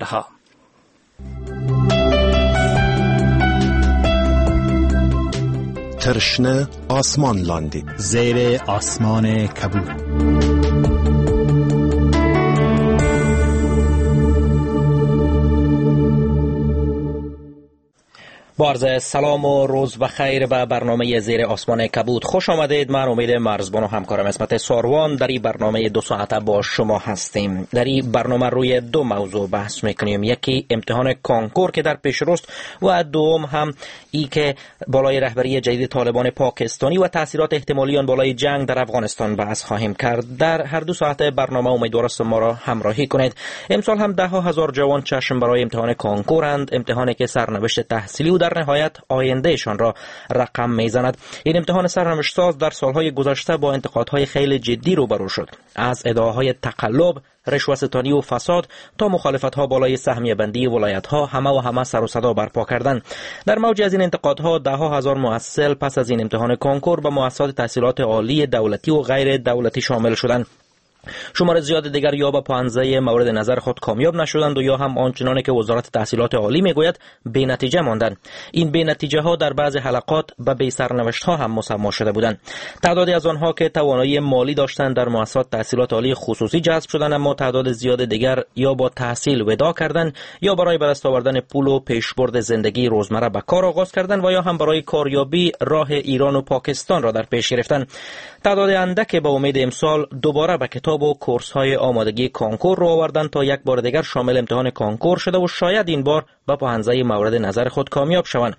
ها. تر شنه آسمان لاندې، زیر آسمان کبود. با عرض سلام و روز بخیر به برنامه زیر آسمان کبود خوش آمدید. من امید مرزبان و همکارم عصمت ساروان در این برنامه 2 ساعته با شما هستیم. در این برنامه روی 2 موضوع بحث میکنیم، یکی امتحان کانکور که در پیش روست و دوم هم ای که بالای رهبری جدید طالبان پاکستانی و تاثیرات احتمالی آن بالای جنگ در افغانستان بحث خواهیم کرد. در هر 2 ساعت برنامه امیدوار هستم ما را همراهی کنید. امسال هم ده ها هزار جوان چشم برای امتحان کانکورند، امتحانی که سرنوشت تحصیلی و در نهایت آیندهشان را رقم میزند. این امتحان سرنوشت ساز در سالهای گذشته با انتقادهای خیلی جدی روبرو شد، از ادعاهای تقلب، رشوه ستانی و فساد تا مخالفت‌ها بالای سهمیه بندی ولایت‌ها، همه و همه سر و صدا برپا کردند. در موج از این انتقادها ده ها هزار محصل پس از این امتحان کنکور به مؤسسات تحصیلات عالی دولتی و غیر دولتی شامل شدند. شمار زیاد دیگر یا به پانزه مورد نظر خود کامیاب نشدند و یا هم آنچنان که وزارت تحصیلات عالی میگوید بی نتیجه ماندند. این بی نتیجه ها در بعض حلقات به بی سرنوشت ها هم مسما شده بودند. تعدادی از آنها که توانایی مالی داشتند در مؤسسات تحصیلات عالی خصوصی جذب شدند، اما تعداد زیاد دیگر یا با تحصیل ودا کردند یا برای به دست آوردن پول و پیشبرد زندگی روزمره به کار آغاز کردند و یا هم برای کاریابی راه ایران و پاکستان را در پیش گرفتند. تعداد اندک به امید امسال دوباره به کتاب و کورس های آمادگی کانکور رو آوردن تا یک بار دیگر شامل امتحان کانکور شده و شاید این بار به پوهنځی مورد نظر خود کامیاب شوند.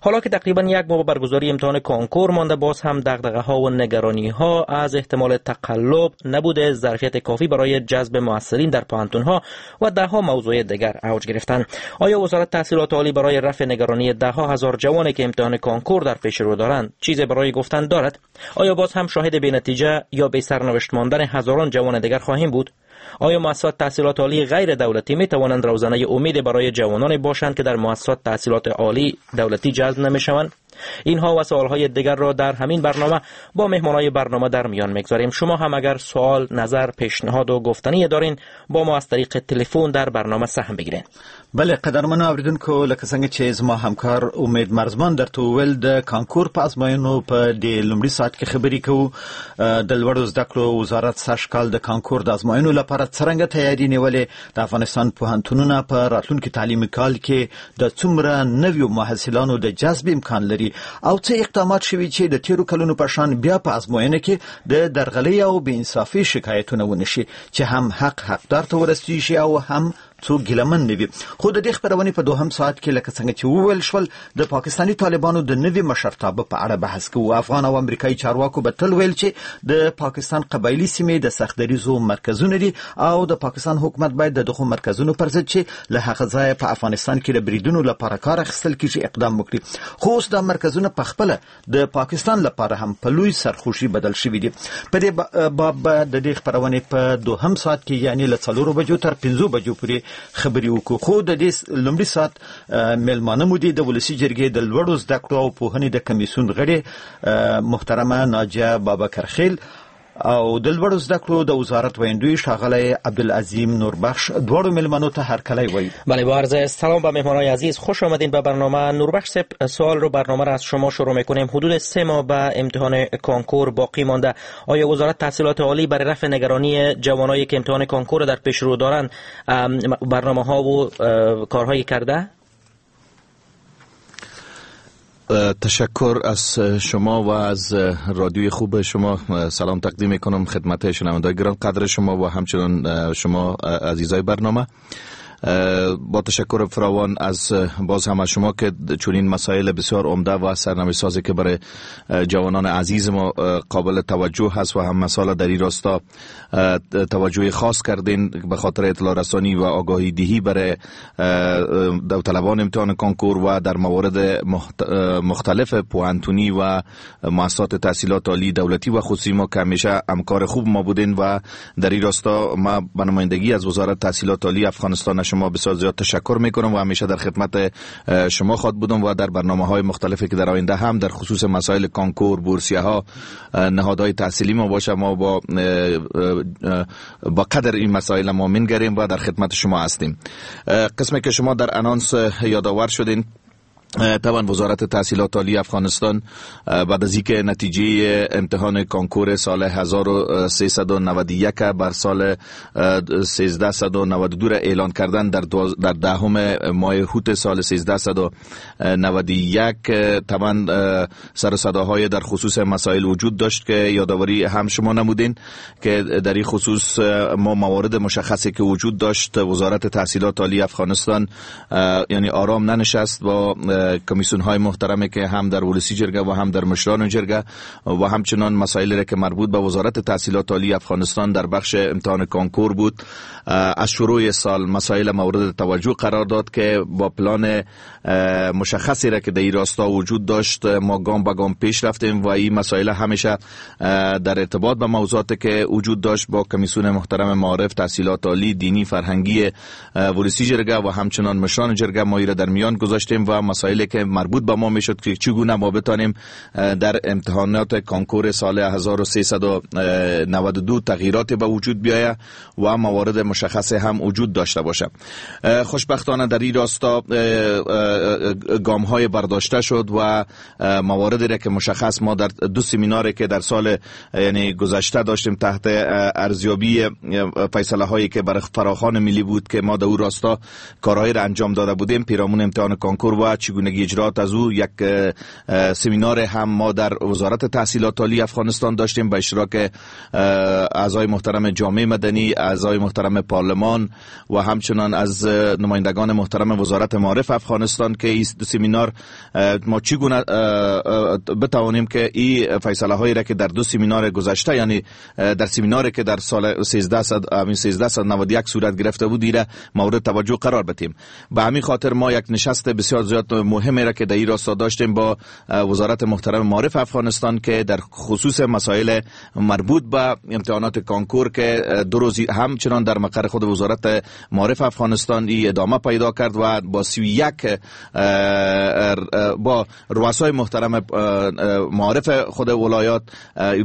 حالا که تقریبا یک ماه برگزاری امتحان کانکور مانده، باز هم دغدغه ها و نگرانی ها از احتمال تقلب، نبود ظرفیت کافی برای جذب محصلین در پوهنتون ها و ده ها موضوع دیگر اوج گرفتند. آیا وزارت تحصیلات عالی برای رفع نگرانی ده ها هزار جوانی که امتحان کانکور در پیش رو دارند چیزی برای گفتن دارد؟ آیا باز هم شاهد بی نتیجه یا بی سرنوشت ماندن هزاران جوان دیگر خواهیم بود؟ آیا مؤسسات تحصیلات عالی غیر دولتی می توانند روزنه امید برای جوانان باشند که در مؤسسات تحصیلات عالی دولتی جذب نمی شوند؟ اینها و سوالهای دیگر را در همین برنامه با مهمانای برنامه در میان میگذاریم. شما هم اگر سوال، نظر، پیشنهاد و گفتنی دارین با ما از طریق تلفن در برنامه سهم بگیرین. بله قدرمنو اوریدونکو، لکه څنګه چې زما همکار امید مرزمان درته وویل، د کانکور په ازموینو په دې لومړي ساعت کې خبرې کوو. د لوړو زده کړو وزارت سږ کال د کانکور د ازموینو لپاره څرنګه تیاری نیولې، د افغانستان پوهنتونونه په راتلونکي تعلیمي کال کې د څومره نویو محصلانو د جذب امکان لري او څه اقدامات شوي چې د تیرو کلونو په شان بیا په ازموینه کې د درغلۍ او بې انصافۍ شکایتونه ونه شي چې هم حق حقدار ته ورسیږي او هم څوک ګیلهمن نه وي. خو د دې خپرونې په دوهم ساعت کې لکه څنګه چې وویل شول د پاکستاني طالبانو د نوي مشرتابه په اړه بحث کوو. افغان او امریکایي چارواکو به تل ویل چې د پاکستان قبایلي سیمې د سخت دریځو مرکزونه دي او د پاکستان حکومت باید د دغو مرکزونو پر ضد چې له هغه ځایه په افغانستان کې د بریدونو لپاره کار اخیستل کیږي اقدام وکړي. خو اوس دا مرکزونه په خپله د پاکستان لپاره هم په لوی سرخوشي بدل شوي دي. په دې باب به د دې خپرونې په دوهم ساعت کې یعنی له 4 بجو تر 5 بجو پورې خبرې وکړو. خو د دې لومړي ساعت مېلمانه مو دي د ولسي جرګې د لوړو زده کړو او پوهنې د کمیسیون غړې محترمه ناجیه بابکرخیل او د لوړو زده کړو د وزارت ویندوی ښاغلی عبدالعظیم نوربخش. دواړو مېلمنو ته هرکلی وایو. بله، با عرض سلام به مهمانای عزیز، خوش آمدین به برنامه. نوربخش صاحب، سوال رو برنامه را از شما شروع میکنیم. حدود 3 ماه به امتحان کانکور باقی مانده. آیا وزارت تحصیلات عالی برای رفع نگرانی جوانایی که امتحان کانکور در پیش رو دارند برنامه ها و کارهایی کرده؟ تشکر از شما و از رادیوی خوب شما. سلام تقدیم میکنم خدمت شنوندگان گران قدر شما و همچنین شما عزیزای برنامه. با تشکر فراوان از باز هم از شما که چنین مسائل بسیار عمده و سرنوشت سازی که برای جوانان عزیز ما قابل توجه هست و هم مسائل در این راستا توجه خاص کردین به خاطر اطلاع رسانی و آگاهی دهی برای داوطلبان امتحان کنکور و در موارد مختلف پوهنتونی و مؤسسات تحصیلات عالی دولتی و خصوصی ما که همیشه همکار خوب ما بودین و در این راستا ما به نمایندگی از وزارت تحصیلات عالی افغانستان شما بسیار زیاد تشکر میکنم و همیشه در خدمت شما خواهد بودم و در برنامه های مختلفی که در آینده هم در خصوص مسائل کانکور، بورسیه ها، نهادهای تحصیلی ما باشه، ما با قدر این مسائل ما منگریم و در خدمت شما هستیم. قسمی که شما در انانس یادآور شدین، طبعا وزارت تحصیلات عالی افغانستان بعد از اینکه نتیجه امتحان کانکور سال 1391 بر سال 1392 را اعلان کردن در دهم ماه اوت سال 1391، طبعا سر و صداهای در خصوص مسائل وجود داشت که یادآوری هم شما نمودین که در این خصوص ما موارد مشخصی که وجود داشت، وزارت تحصیلات عالی افغانستان یعنی آرام ننشست با کمیسیون های محترمی که هم در ولسی جرگه و هم در مشران جرگه و همچنان مسائل را که مربوط به وزارت تحصیلات عالی افغانستان در بخش امتحان کانکور بود، از شروع سال مسائل مورد توجه قرار داد که با پلان مشخصی را که در این راستا وجود داشت ما گام به گام پیش رفتیم و این مسائل همیشه در ارتباط به موضوعاتی که وجود داشت با کمیسیون محترم معارف، تحصیلات عالی، دینی، فرهنگی ولسی جرگه و همچنان مشران جرگه ما را در میان گذاشتیم و مسائلی که مربوط به ما میشد که چگونه ما بتانیم در امتحانات کانکور سال 1392 تغییرات به وجود بیاید و موارد مشخص هم وجود داشته باشه. خوشبختانه در این راستا گام های برداشته شد و مواردی را که مشخص ما در دو سمیناری که در سال یعنی گذشته داشتیم تحت ارزیابی فیصله هایی که برای فراخوان ملی بود که ما در او راستا کارهایی را انجام داده بودیم پیرامون امتحان کانکور و چگونگی اجرات از او، یک سمینار هم ما در وزارت تحصیلات عالی افغانستان داشتیم به اشتراک اعضای محترم جامعه مدنی، اعضای محترم پارلمان و همچنان از نمایندگان محترم وزارت معارف افغانستان که این سمینار ما چگونه بتوانیم که این فیصله هایی را که در دو سمینار گذشته، یعنی در سمیناری که در سال 1391 صورت گرفته بود، ایره مورد توجه قرار بدیم. به همین خاطر ما یک نشست بسیار زیاد مهمی را که در این راستا داشتیم با وزارت محترم معارف افغانستان که در خصوص مسائل مربوط به امتحانات کانکور که دو روز همچنان در مقر خود وزارت معارف افغانستان ای ادامه پیدا کرد و با 31 با رؤسای محترم معارف خود ولایات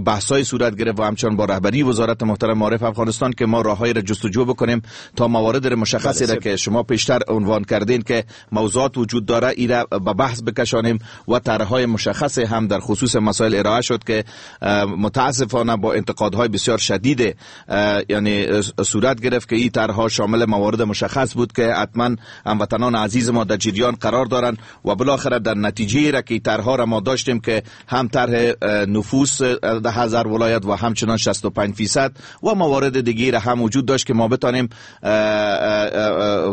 بحث‌های صورت گرفت و همچنان با رهبری وزارت محترم معارف افغانستان که ما راه‌های را جستجو بکنیم تا موارد مشخصی را که شما پیشتر عنوان کردین که موضوعات وجود داره ایره به بحث بکشانیم و طرح‌های مشخص هم در خصوص مسائل ارائه شد که متاسفانه با انتقادهای بسیار شدید یعنی صورت گرفت که این طرح‌ها شامل موارد مشخص بود که حتما هموطنان عزیز ما در جریان قرار دارند و بالاخره در نتیجه را که طرح‌ها را ما داشتیم که هم طرح نفوس در هزار ولایت و همچنان 65% و موارد دیگه هم وجود داشت که ما بتانیم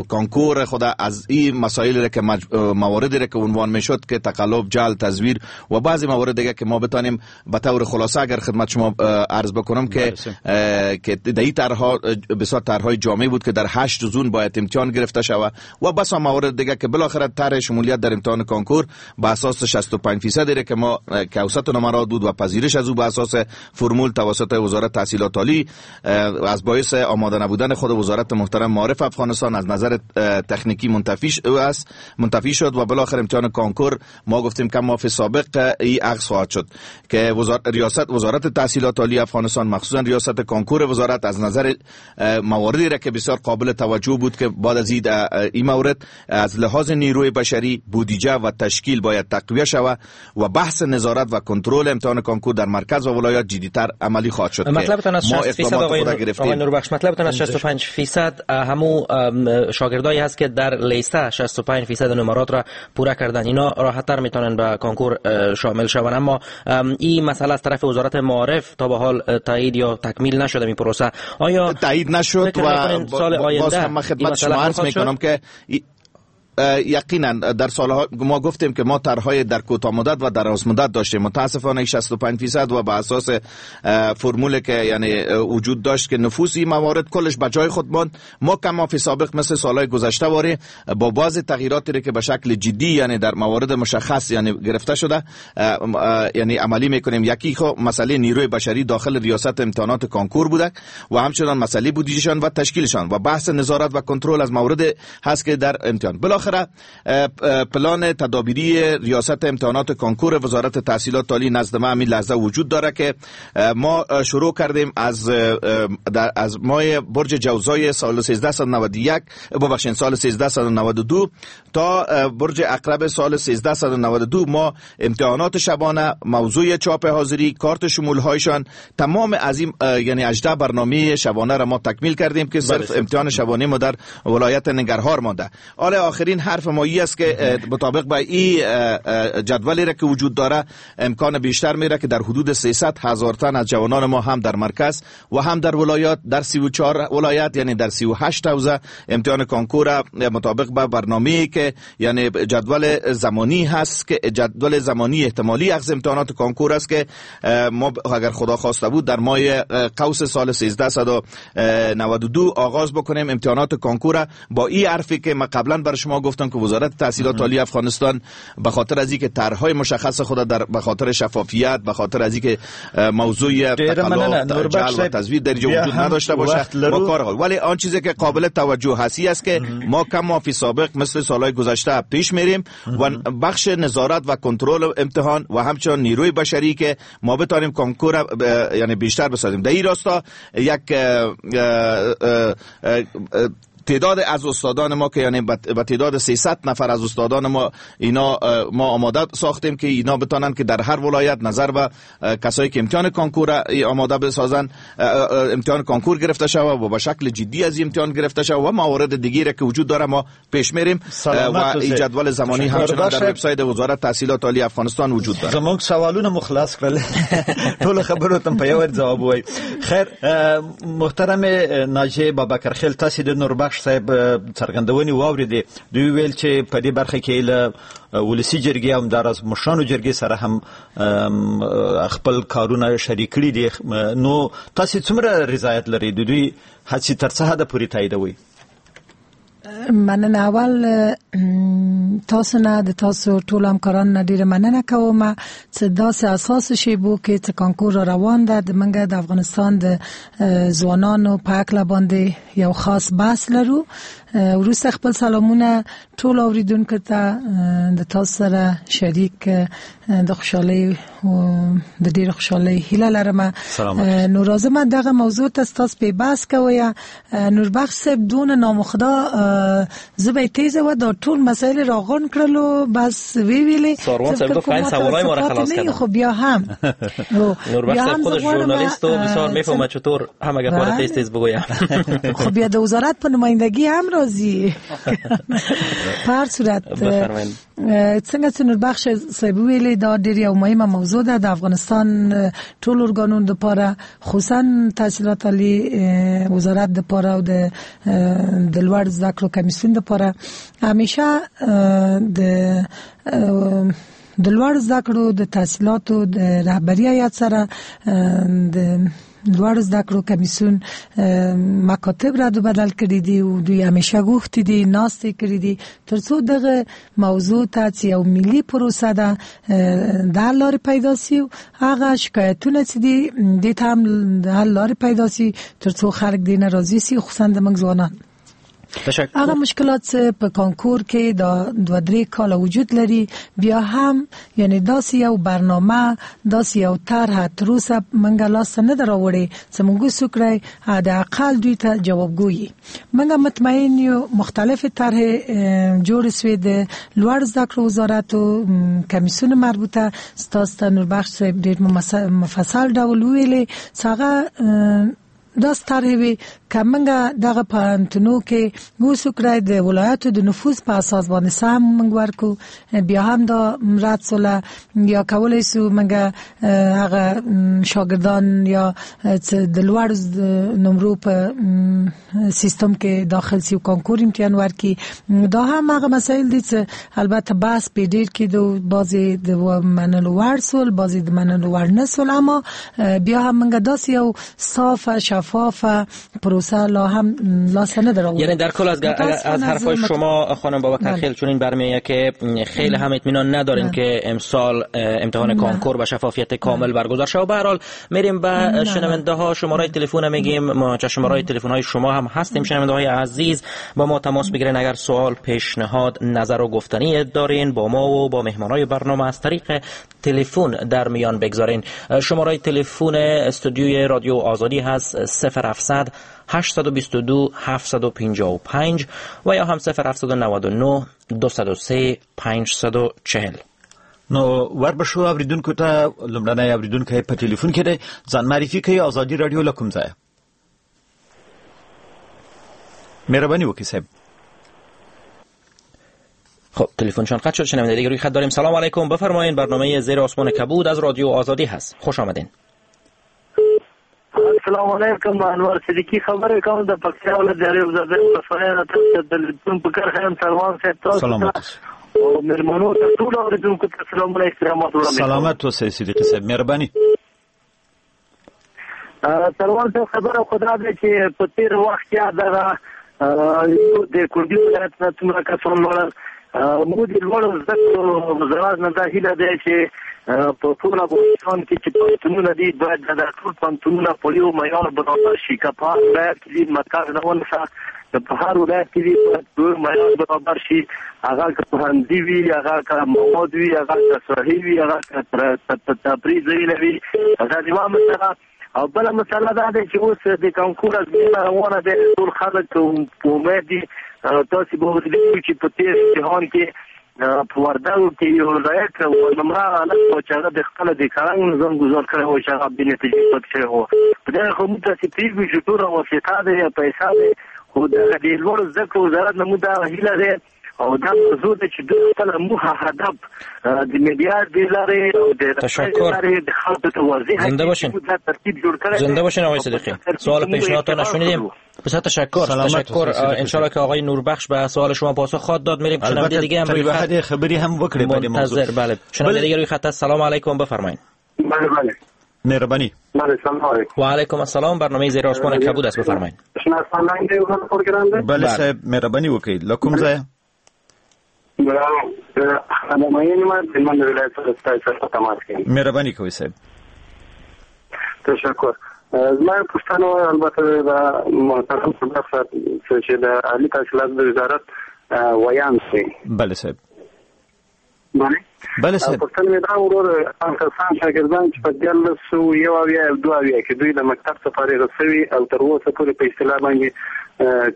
کانکور خود از این مسائل را که مواردی را که عنوان میشد که تقلب، جعل، تزویر و بعضی موارد دیگه که ما بتانیم به طور خلاصه اگر خدمت شما عرض بکنم که در این طرح‌ها بسیار طرح‌های جامع بود که در 8 زون باید امتحان گرفته شود و بسا موارد دیگه که بالاخره طرح شمولیت در امتحان کانکور به اساس 65% را که ما که اوسط نمرات بود و پذیرش از او به اساس فرمول توسط وزارت تحصیلات عالی از باعث آماده نبودن خود وزارت محترم معارف افغانستان از نظر تکنیکی منتفی شد و بالاخره امتحان کانکور ما گفتیم که ما فی سابق ای عکس خواهد شد که ریاست وزارت تحصیلات عالی افغانستان مخصوصا ریاست کانکور وزارت از نظر مواردی را که بسیار قابل توجه بود که بعد از این مورد از لحاظ نیروی بشری، بودجه و تشکیل باید تقویه شود و بحث نظارت و کنترل امتحان کانکور در مرکز و ولایات جدی‌تر عملی خواهد شد. مطلبتان از 60% آقای نوربخش، مطلبتان از 65% همو شاگردایی هست که در لیسه 65% نمرات را پورا کردن، اینا راحت‌تر میتونن به کانکور شامل شوند، اما این مسئله از طرف وزارت معارف تا به حال تایید یا تکمیل نشده این پروسه. آیا تایید نشد و سال آینده باز هم خدمت شما عرض میکنم که یقینا در سالها ما گفتیم که ما طرح‌های در کوتاه مدت و دراز مدت داشتیم. متاسفانه 65% و به اساس فرمول که یعنی وجود داشت که نفوس این موارد کلش به جای خود ماند. ما کما فی سابق مثل سالهای گذشته واری با بعض تغییراتی که به شکل جدی یعنی در موارد مشخص یعنی گرفته شده یعنی عملی میکنیم. یکی خو مسئله نیروی بشری داخل ریاست امتحانات کنکور بوده و همچنان مسئله بودجهشان و تشکیلشان و بحث نظارت و کنترل از مورد هست که در امتحان. بالاخره پلان تدابیری ریاست امتحانات کنکور وزارت تحصیلات عالی نزد ما همین لحظه وجود داره که ما شروع کردیم از ماه برج جوزای سال 1391 ببخشید سال 1392 تا برج عقرب سال 1392 ما امتحانات شبانه، موضوع چاپ حاضری، کارت شمول هایشان، تمام از این یعنی 18 برنامه شبانه را ما تکمیل کردیم که صرف امتحان شبانه ما در ولایت ننگرهار مانده. حالا آخرین حرف ما ای است که مطابق با این جدولی را که وجود داره امکان بیشتر میره که در حدود 300,000 تن از جوانان ما هم در مرکز و هم در ولایات در 34 ولایت یعنی در 38 حوزه امتحان کنکور مطابق با برنامه‌ای که یعنی جدول زمانی هست که جدول زمانی احتمالی اخذ امتحانات کنکور است که ما اگر خدا خواسته بود در ماه قوس سال 1392 آغاز بکنیم امتحانات کنکور. با این حرفی که ما قبلا بر شما گفتم که وزارت تحصیلات عالی افغانستان به خاطر از اینکه طرح‌های مشخص خود در به خاطر شفافیت، به خاطر از اینکه موضوع تقلب و تزویر در وجود نداشته باشه با کار، ولی آن چیزی که قابل توجه هستی است که ما کما فی سابق مثل سالهای گذشته پیش میریم و بخش نظارت و کنترل امتحان و همچنین نیروی بشری که ما بتانیم کنکور یعنی بیشتر بسازیم. در این راستا یک تعداد از استادان ما که یعنی به تعداد 300 نفر از استادان ما اینا ما آماده ساختیم که اینا بتانن که در هر ولایت نظر به کسایی که امتحان کنکور آماده بسازن امتحان کنکور گرفته شود و به شکل جدی از امتحان گرفته شود و موارد دیگری که وجود داره ما پیش میریم و این جدول زمانی همچنان در وبسایت وزارت تحصیلات عالی افغانستان وجود داره. زموږ سوالونه مو خلاص کړل، ټول خبرو ته په یو ځواب وای. خیر محترم ناجی بابکر خیل، تاسو د نوربخش صاحب څرګندونې واورېدې. دوی ویل چې په دې برخه کې له ولسي جرګې او همداراز مشرانو جرګې سره هم خپل کارونه شریک کړي دي. نو تاسو څومره رضایت لرئ؟ د دوی هڅې تر څه حده پورې تاییدوئ؟ مننه. اول تاسو نه د تاسو ټول همکاران نه ډیره مننه کوم چې داسې اساس شیبو کې چې کانکور روان ده د منګه د افغانستان د ځوانانو په هکله باندې یو خاص بحث لرو. وروسته خپل سلامونه ټول اوریدونکو ته د تاسو سره شریک د خوشحالۍ د ډیر خوشحالۍ هیله لرم. نو راځم دغه موضوع ته تاسو په بحث کوی. نوربخش صاحب دون نام خدا زه به تیزه و دا ټول مسائل راغون کړلو بس وی ویلې ساروان صاحب گفت سوالای ما را خلاص کردم. خب بیا هم نوربخش صاحب خودش ژورنالیست و بسیار میفهمه چطور هم اگر کار تیز تیز بگویم. خب بیا د وزارت په نمایندګي هم راځي. په هر صورت څنګه چې نوربخش صاحب ویلې دا ډیر یو مهمه موضوع ده د افغانستان ټول ارګانونو لپاره، خصوصا تحصیلات عالی وزارت لپاره او د لوړ زده کړو کمیسیون لپاره. همیشه د لوړ زده کړو د تحصیلاتو د رهبري هیئت سره د لوړ زده کړو کمیسیون مکاتب رد و بدل کړي دي او دوی همیشه غوښتي دي، ناستې کړي دي ترڅو دغه موضوع ته چې یو ملي پروسه ده د حل لارې پیدا سي، هغه شکایتونه چې دي دې ته هم د حل لارې پیدا سي ترڅو خلک دې نه راضي سي، خصوصا د موږ ځوانان. هغه مشکلات چې په کانکور کې دا 2-3 کاله وجود لري بیا هم یعنی داسې یو برنامه داسې یو طرح تر اوسه موږ لاس ته نه ده راوړې چې موږ وسو کړی د اقل دوی ته جوابګوي. موږ مطمئن یو مختلف طرح جوړ سوې د لوړ زده کړو وزارت او کمیسیون مربوطه. ستاسو ته نوربخش صاحب ډېر مفصل ډول وویلې چې هغه داس طرح وي که موږ دغه پوهنتونو کې اوس وکړای د ولایاتو د نفوذ په اساس باندې سم موږ ورکو، بیا هم دا رد سوله، یا کولای سو موږ هغه شاګردان یا د لوړ نمرو په سیستم کې داخل سی او کانکور امتحان ورکي. دا هم هغه مسایل دي چې البته بحث په ډیر کې د بعضې د منلو وړ سول، بعضې د منلو وړ نه سول، اما بیا هم موږ داسې یو صافه شفافه پروسه لا هم لاسته نه ده راوړې. یعنی در کل از حرفای شما خانم بابکرخیل چنین برمی‌آید که خیلی هم اطمینان ندارین که امسال امتحان کانکور به شفافیت کامل برگزار شود. به هر حال میریم به شنونده ها، شماره تلفن میگیم، ما شماره تلفن های شما هم هستیم. شنونده های عزیز با ما تماس بگیرین اگر سوال، پیشنهاد، نظر و گفتنی دارین با ما و با مهمانای برنامه از طریق تلفن در میان بگذارین. شماره تلفن استودیوی رادیو آزادی هست 0700 822 755 و یا هم 0799 203 540. نو وربشو اوریدونکو ته لومړنی اوریدونکی په تلفن کې دی، ځان معرفي کوي. ازادي رادیو له کوم ځایه؟ مهرباني وکړئ صاحب. خب تلفنشان قطع شد. شنونده دیگه روی خط داریم. سلام علیکم، بفرمایین. برنامه زیر آسمان کبود از رادیو آزادی هست، خوش آمدین. السلام علیکم، انور صدیقی خبرې کوم د پکتیا ولایت د ریو زاده ولسوالۍ نه. تاسو د تلفن په کرښه یم. سلمان صاحب تاسو سلامت او مېلمنو ته ټول اورېدونکو ته سلامونه احترامات وړاندې کوم. سلامت اوسئ صدیقي صاحب، مهرباني. سلمان صاحب خبره خو دا ده چې په تېر وخت کې دغه د کندوز ولایت نه څومره کسان لوړل، موږ د لوړو زده کړو وزارت نه دا هیله ده چې په ټول افغانستان کې چې پوهنتونونه دي باید دا ټول پوهنتونونه په یو معیار برابر شي. که په هر ولایت کې دي مرکز نه ونیسه، په هر ولایت کې دي باید په یو معیار برابر شي. هغه که پوهنځي وي، هغه که مواد وي، هغه که ساحې وي، هغه که تفریح ځایونه وي. دا یوه مسله. او بله مسله دا ده چې اوس د کانکور ازموینه روانه ده، ټول خلک په امید دي. تاسو به ولیدل چې په تېر امتحان کې په وردګو کې یو لایق نمره هلک و چې هغه د خپل د کرنګ نظام ګزار کړی و چې هغه بې نتیجې پاتې شوی و. په دغه خو موږ تاسې پوهېږو چې ټوله واسطه ده یا پیسه ده، خو دغه د لوړو زده کړو وزارت نه موږ دا هیله ده او دا موضوع ده چې دوی خپله موخه هدف د میډیا د لارې او د لارې د خلکو ته واضح کړي، دا ترتیب جوړ کړی. زنده باشین آقای صدیقی. سوال پیشنهادتان نشنیدیم. بسیار تشکر. تشکر. انشالله که آقای نوربخش به سوال شما پاسخ خواهد داد. میریم شنونده دیگه هم روی خط خبری هم وکړي په دې موضوع. بله شنونده دیگه روی خط. سلام علیکم، بفرمایید. بله بله مهربانی. بله سلام علیکم. و علیکم السلام. برنامه زیر آسمان کبود است، بفرمایید. بله صاحب مهرباني وکړئ. له کوم ځایه؟ مهرباني کوئ صاحب. تشکر. زما پوښتنه البته د محترم صاحب چې د عالي تحصیلاتو د وزارت ویاند دی. بله صاحب. بله بله صاحب. پوښتنه مې دا ورور، هغه کسان شاګردان چې په 1371 او 72 کې دوی د مکتب څخه فارغ شوي او تر اوسه پورې په اصطلاح باندې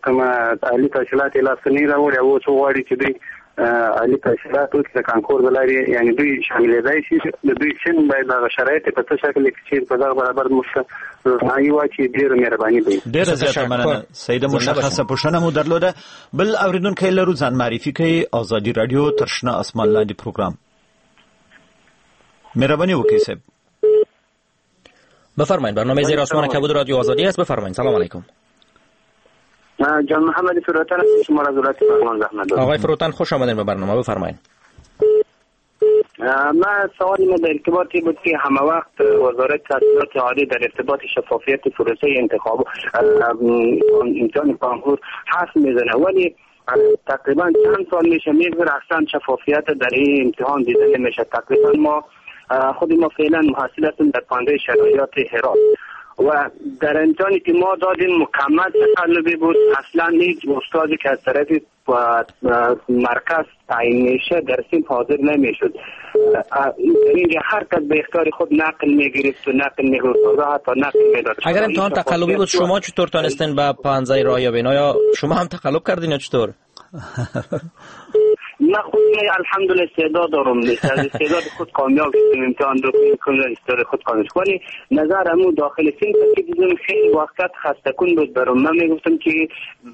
کومه عالي تحصیلات یې لاسته نه راوړي او اوس غواړي چې دوی عالي تحصیلات وکړي د کانکور د لارې، یعنې دوی شاملېدای شي، د دوی سن باید هغه شرایط په څه شکل کې چې په دغه برابر موږ ته روښنايي واچوي. ډېره مهرباني به وي. ډېره زیاته مننه سیده، مشخصه پوښتنه مو درلوده. بل اورېدونکی لرو، ځان معرفي کوي. ازادي رادیو تر شنه اسمان لاندې پروګرام. مهرباني وکړئ صاحب. بفرمایید. برنامه زیر آسمان کبود رادیو آزادی است، بفرمایید. سلام علیکم. جان محمد فروتن شما را ولایت پغمان زحمت دارم. آقای فروتن خوش آمدین به برنامه، بفرمایید. من سوالی ما در ارتباطی بود که همه وقت وزارت تحصیلات عالی در ارتباط شفافیت پروسه انتخاب امتحان کانکور حرف میزنه، ولی تقریبا چند سال میشه میگذره اصلا شفافیت در این امتحان دیده نمیشه. تقریبا ما خود ما فعلا محصل هستیم در پانده شرایط هرات و در امتحانی که ما دادیم مکمل تقلبی بود. اصلا هیچ استادی که از طرف مرکز تعیین میشه در سیم حاضر نمیشد. اینجا هر کس به اختیار خود نقل میگرفت و نقل میگرفت و حتی نقل میداد. اگر امتحان تقلبی بود شما چطور تانستین به پانزه راه یابین؟ آیا شما هم تقلب کردین یا چطور؟ من خود الحمدلله استعداد دارم، از استعداد خود کامیاب شدم، امتحان رو کاملا استعداد خود کامیاب شدم. ولی نظر امو داخل صنف که دیدم خیلی وقت خسته کن بود برام. من میگفتم که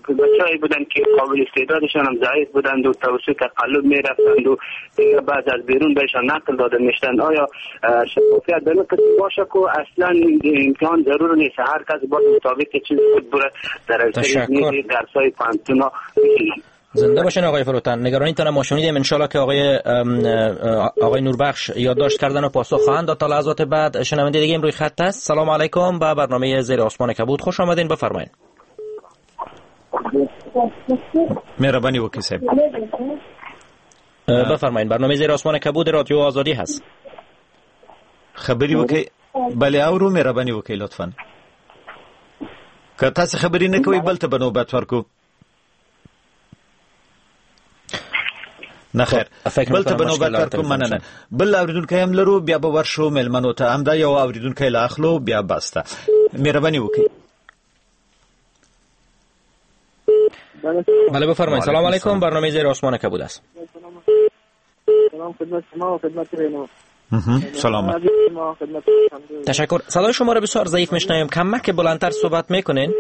بچه‌ای بودن که قابل استعدادشان هم ضعیف بودند و توسط تقلب میرفتند و دیگه بعد از بیرون بهشان نقل داده میشدند. آیا شفافیت در قسم باشه که اصلا امتحان ضرور نیست، هر کس باید مطابق چیز خود بره در درس‌های پوهنتون. زنده باشین آقای فروتن، نگرانیتان ما شنیدیم. انشالله که آقای نوربخش یادداشت کردن و پاسخ خواهند داد تا لحظات بعد. شنونده دیگه روی خط است. سلام علیکم، به برنامه زیر آسمان کبود خوش آمدین، بفرمایید. مهربانی وکیل صاحب. بفرمایید، برنامه زیر آسمان کبود رادیو آزادی هست. خبری وکي؟ بله اورو، مهربانی وکي لطفاً. که تاسو خبرې نه کوئ بل ته به نوبت ورکو. نه خیر، بل ته به نوبت ورکو. مننه. بل اوریدونکی هم لرو، بیا به ورشو میلمنو ته. همدا یو اوریدونکی لا اخلو بیا بس ته. مهرباني وکړئ. بله بفرمایید. سلام علیکم، برنامه زیر آسمان کبود است. سلام خدمت شما و خدمت رینا. سلام. تشکر. صدای شما رو بسیار ضعیف میشنویم، کمک بلندتر صحبت میکنین.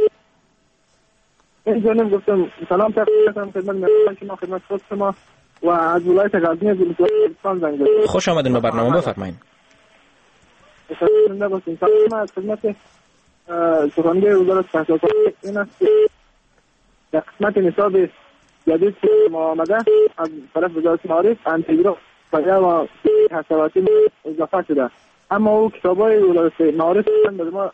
این جانم گفتم سلام تقدیم خدمت شما، خدمت خود شما و از ولایت غزنی از ولایت زنگ زدم. خوش آمدین به برنامه، بفرمایید. زنده باشین. سلام از خدمت سخنگوی وزارت تحصیلات این است که در قسمت نصاب جدید که ما آمده از طرف وزارت معارف انتگرال و حساباتی اضافه شده، اما او کتابای وزارت معارف به ما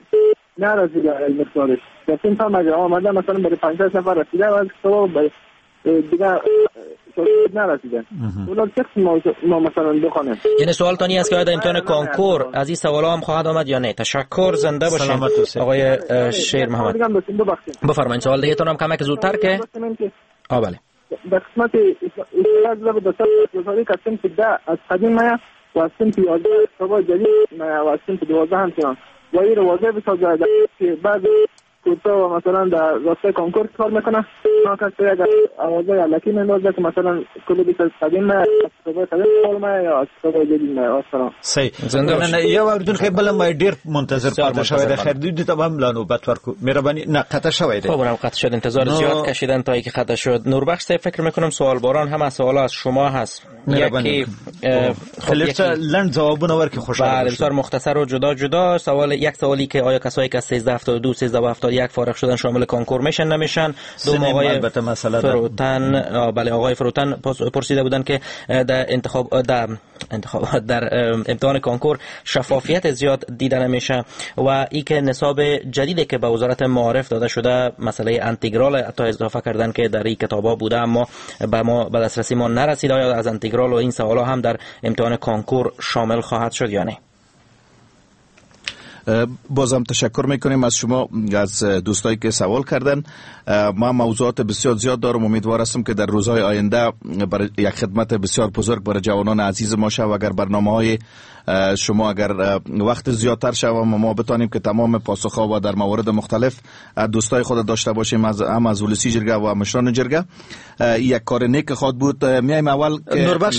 نرسیده مقدارش. در این تا مگر آمده مثلا برای 5 نفر رسیده و از کتابا برای دیگه نرسیده. اونا چه ما مثلا بخوانیم؟ یعنی سوال تانی است که آیا امتحان کنکور از این سوالا هم خواهد آمد یا نه؟ تشکر، زنده باشین آقای شیر محمد. بفرمایید سوال دیگه تون هم کمک زودتر که بله. در قسمت اصلاح به دستور که صنف 10 از قدیم میا و از صنف 11 کتاب جدید میا و از صنف 12 همچنان و این واضح بسازد که بعد کوتا و مثلا در راستای کنکور کار میکنه، اونا کسی اگر آوازه الکی میندازه که مثلا کل بیت از قدیم از کتاب قدیم کار یا از کتاب جدید نه. سلام. صحیح. نه یو اوریدونکی بل ما ډیر منتظر پاتې شوی دی. خیر دوی ته هم لا نوبت ورکو. مهرباني. نه قطع شوی دی. خب اونم قطع شد، انتظار زیاد کشیدن تا اینکه قطع شد. نوربخش فکر میکنم سوال باران هم از سوال از شما هست. یکی خب لند جوابونه ورکې خوشاله. بله بسیار مختصر و جدا جدا. سوال یک سوالی که آیا کسایی که 1372 1371 فارغ شدن شامل کنکور میشن نمیشن؟ دوم آقای فروتن، بله آقای فروتن پرسیده بودن که در انتخاب در امتحان کنکور شفافیت زیاد دیده نمیشه و ای که نصاب جدیدی که به وزارت معارف داده شده مسئله انتگرال حتی اضافه کردن که در این کتابا بوده اما به ما به دسترسی ما نرسید، آیا از انتگرال و این سوالا هم در امتحان کنکور شامل خواهد شد یا نه؟ بازم تشکر میکنیم از شما، از دوستایی که سوال کردن. ما موضوعات بسیار زیاد دارم، امیدوار هستم که در روزهای آینده برای یک خدمت بسیار بزرگ برای جوانان عزیز ما شود. اگر برنامه های شما اگر وقت زیادتر شود و ما بتانیم که تمام پاسخ ها و در موارد مختلف دوستای خود داشته باشیم، از هم از ولسی جرگه و مشران جرگه، یک کار نیک خواهد بود. میایم اول که نوربخش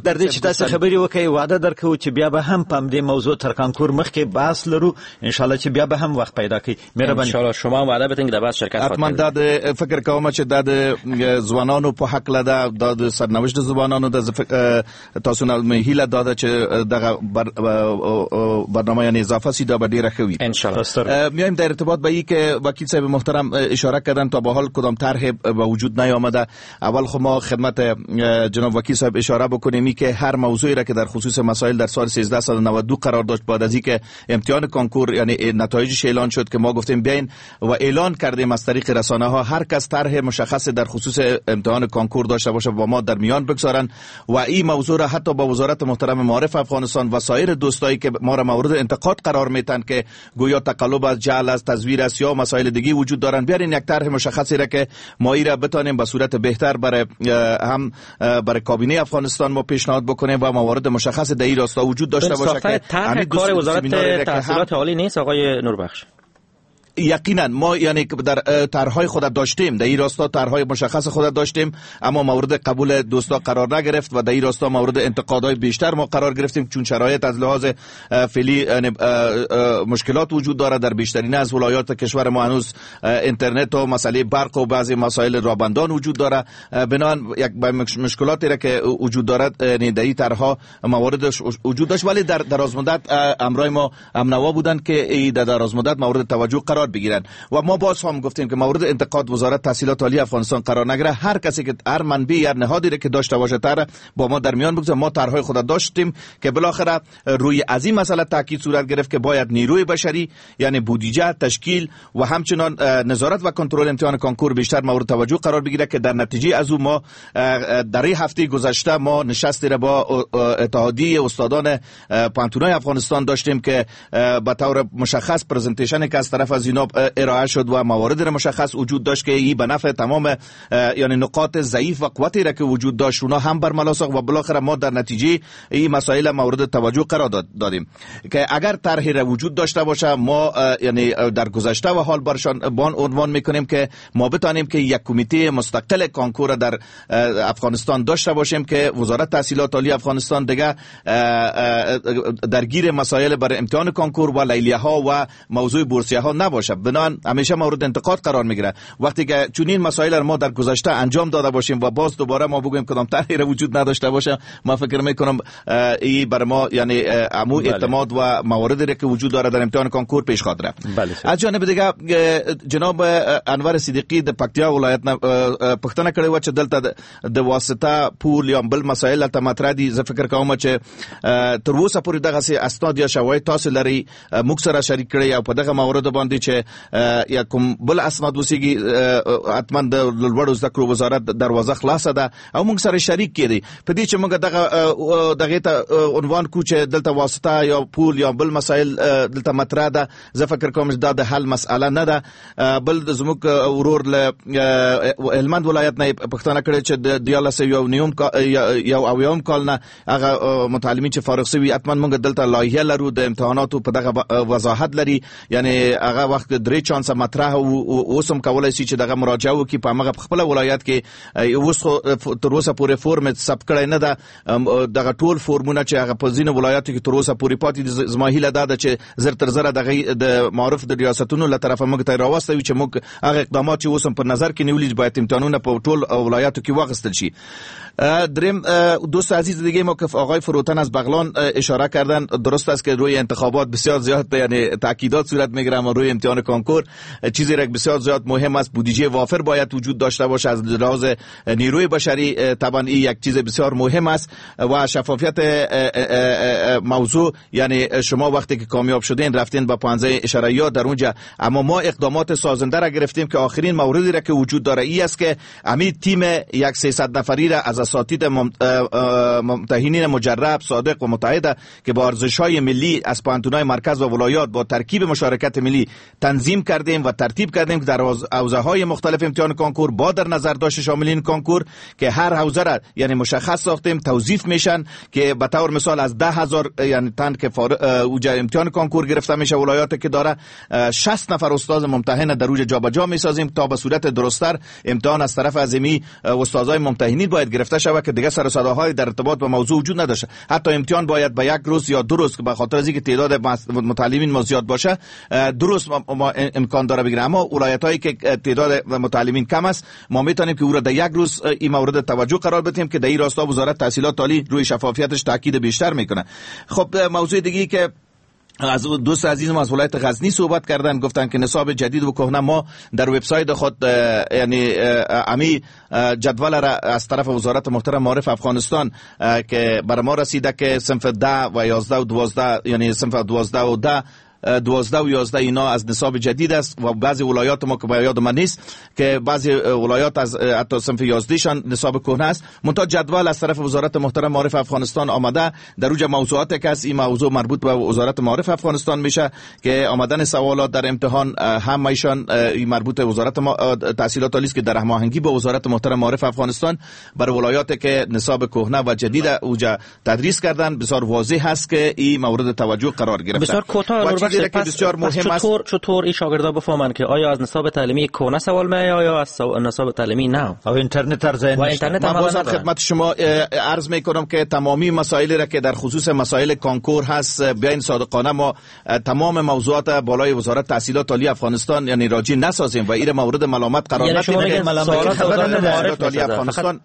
در دې چې تاسو خبرې وکړئ وعده درکوو چې بیا به هم په دې موضوع تر کنکور مخکې بحث لرو ان شاء الله چې بیا به هم وخت پیدا کړئ. مهرباني. ان شاء الله شما وعده بدین که در بحث شرکت خواهید. حتما دا فکر کوم چې دا د ځوانانو په حق لده، دا د سرنوشت ځوانانو د تاسو نه هیله دا چې دغه برنامه یعنی اضافه سی دا به ډیره ښه وي ان شاء الله. میایم در ارتباط با این که وکیل صاحب محترم اشاره کردن تا به حال کدام طرح به وجود نیامده. اول خب ما خدمت جناب وکیل صاحب اشاره بکنیم که هر موضوعی را که در خصوص مسائل در سال 1392 قرار داشت، بعد از اینکه امتحان کنکور یعنی نتایجش اعلان شد که ما گفتیم بیاین و اعلان کردیم از طریق رسانه ها هر کس طرح مشخص در خصوص امتحان کنکور داشته باشه با ما در میان بگذارن و این موضوع را حتی با وزارت محترم معارف افغانستان و سایر دوستایی که ما را مورد انتقاد قرار میتن که گویا تقلب از جعل از تزویر است یا مسائل دیگه وجود دارن، بیارین یک طرح مشخصی را که ما ای را بتانیم به صورت بهتر برای هم برای کابینه افغانستان ما پیشنهاد بکنیم و موارد مشخص در این راستا وجود داشته باشه که طرح کار وزارت تحصیلات عالی نیست آقای نوربخش. یقینا ما یعنی در طرح‌های خود داشتیم، در این راستا طرح‌های مشخص خود داشتیم، اما مورد قبول دوستا قرار نگرفت و در این راستا مورد انتقادهای بیشتر ما قرار گرفتیم، چون شرایط از لحاظ فعلی مشکلات وجود داره در بیشترین از ولایات کشور ما، هنوز اینترنت و مسئله برق و بعضی مسائل رابندان وجود داره. بنابراین یک مشکلاتی را که وجود دارد یعنی در این طرح‌ها مواردش وجود داشت، ولی در دراز مدت امرای ما امنوا بودند که در دراز مدت مورد توجه قرار بگیرن و ما باز هم گفتیم که مورد انتقاد وزارت تحصیلات عالی افغانستان قرار نگیره. هر کسی که هر منبع هر نهادی را که داشته باشه طرح با ما در میان بگذاره. ما طرح‌های خود داشتیم که بالاخره روی از این مسئله تاکید صورت گرفت که باید نیروی بشری یعنی بودجه، تشکیل و همچنان نظارت و کنترل امتحان کنکور بیشتر مورد توجه قرار بگیره که در نتیجه از او ما در این هفته گذشته ما نشستی را با اتحادیه استادان پوهنتون‌های افغانستان داشتیم که به طور مشخص presentation که از طرف از اینا ارائه شد و موارد را مشخص وجود داشت که این به نفع تمام یعنی نقاط ضعیف و قوتی را که وجود داشت اونا هم برملا ساخت و بالاخره ما در نتیجه این مسائل مورد توجه قرار دادیم که اگر طرحی را وجود داشته باشه ما یعنی در گذشته و حال برشان بان عنوان میکنیم که ما بتانیم که یک کمیته مستقل کنکور در افغانستان داشته باشیم که وزارت تحصیلات عالی افغانستان دیگه درگیر مسائل برای امتحان کنکور و لیلیه ها و موضوع بورسیه ها نباشه. بنابراین همیشه مورد انتقاد قرار میگیره وقتی که چنین مسائل را ما در گذشته انجام داده باشیم و باز دوباره ما بگوییم کدام طرحی را وجود نداشته باشه، ما فکر میکنم این بر ما یعنی عمو اعتماد و مواردی را که وجود داره در امتحان کنکور پیش خواهد رفت. از جانب دیگه جناب انور صدیقی د پکتیا ولایت پښتنه کړې و چې دلته د واسطه پول یا بل مسائل ته مطرح دي. زه فکر کوم چې تر اوسه پورې دغسې اسناد یا شواهد تاسو لرئ موږ سره شریک کړئ او په دغه مورد باندې چې یا کوم بل اسناد وسیږي حتما د لوړو زده کړو وزارت دروازه خلاصه ده او موږ سره شریک کړي. په دې چې موږ دغه ته عنوان کو چې دلته واسطه یا پول یا بل مسائل دلته مطرح ده، زه فکر کوم چې دا د حل مسئله نه ده. بل زموږ ورور له هلمند ولایت نه پښتنه کړې چې د 1391 کال نه هغه متعلمین چې فارغ شوي حتما موږ دلته لایحه لرو د امتحاناتو په دغه وضاحت لري، یعنی هغه وخت درې چانس مطرح او اوس هم کولای شي چې دغه مراجعه وکړي په هغه خپل ولایت کې. اوس خو تر اوسه پورې فورم ثبت کړی نه ده، دغه ټول فورمونه چې هغه په ځینو ولایاتو کې تر اوسه پورې پاتې دي. زما هیله دا ده چې زر تر زره دغه د معارف د ریاستونو له طرفه موږ ته راوستوي چې موږ هغه اقدامات چې اوس هم په نظر کې نیولي باید امتحانونه په ټول ولایاتو کې واخیستل شي. دریم دوست عزیز دیگه ما که آقای فروتن از بغلان اشاره کردن، درست است که روی انتخابات بسیار زیاد یعنی تاکیدات صورت میگیره، اما روی امتحان کنکور چیزی را بسیار زیاد مهم است، بودجه وافر باید وجود داشته باشه از لحاظ نیروی بشری. طبعا این یک چیز بسیار مهم است و شفافیت موضوع، یعنی شما وقتی که کامیاب شدین رفتین با 15 اشاریه در اونجا، اما ما اقدامات سازنده را گرفتیم که آخرین موردی را که وجود داره ای است که امی تیم یک 300 نفری را از اساتید ممتحنین مجرب، صادق و متعهد که با ارزش‌های ملی از پوهنتون‌های مرکز و ولایات با ترکیب مشارکت ملی تنظیم کردیم و ترتیب کردیم که در حوزه‌های مختلف امتحان کنکور با در نظر داشت شاملین کنکور که هر حوزه را یعنی مشخص ساختیم توظیف میشن که به طور مثال از 10000 یعنی تن که اوج امتحان کنکور گرفته میشه ولایات که داره 60 نفر استاد ممتحن در اوج جابجا میسازیم تا به صورت درستتر امتحان از طرف ازمی استادای ممتحنین باید گرفته شود که دیگه سر و صداهای در ارتباط با موضوع وجود نداشته. حتی امتحان باید به یک روز یا دو روز که به خاطر از اینکه تعداد متعلمین ما زیاد باشه دو روز ما امکان داره بگیره، اما ولایتایی که تعداد متعلمین کم است ما میتونیم که او را در یک روز این مورد توجه قرار بدیم که در این راستا وزارت تحصیلات عالی روی شفافیتش تاکید بیشتر میکنه. خب موضوع دیگه که از دوست عزیز ما از ولایت غزنی صحبت کردن، گفتن که نصاب جدید و کهنه ما در وبسایت خود یعنی امی جدول را از طرف وزارت محترم معارف افغانستان که بر ما رسیده که صنف 10 و 11 و 12 یعنی صنف 12 و 10 12 و 11 اینا از نصاب جدید است و بعضی ولایات ما که به یاد من نیست که بعضی ولایات از حتی صنف 11 شان نصاب کهنه است. منتها جدول از طرف وزارت محترم معارف افغانستان آمده در اوج موضوعات که است این موضوع مربوط به وزارت معارف افغانستان میشه که آمدن سوالات در امتحان هم ایشان مربوط به وزارت تحصیلات عالی است که در هماهنگی با وزارت محترم معارف افغانستان بر ولایات که نصاب کهنه و جدید اوج تدریس کردن بسیار واضح است که این مورد توجه قرار گرفته. بسیار کوتاه مسئله که بسیار مهم است، چطور این شاگردا بفهمن که آیا از نصاب تعلیمی کهنه سوال میاد یا از نصاب تعلیمی نه؟ او اینترنت ارزه. و اینترنت من بازم خدمت شما عرض میکنم که تمامی مسائلی را که در خصوص مسائل کانکور هست، بیاین صادقانه ما تمام موضوعات بالای وزارت تحصیلات عالی افغانستان یعنی راجی نسازیم و این مورد ملامت قرار ندیم. ملامت عالی افغانستان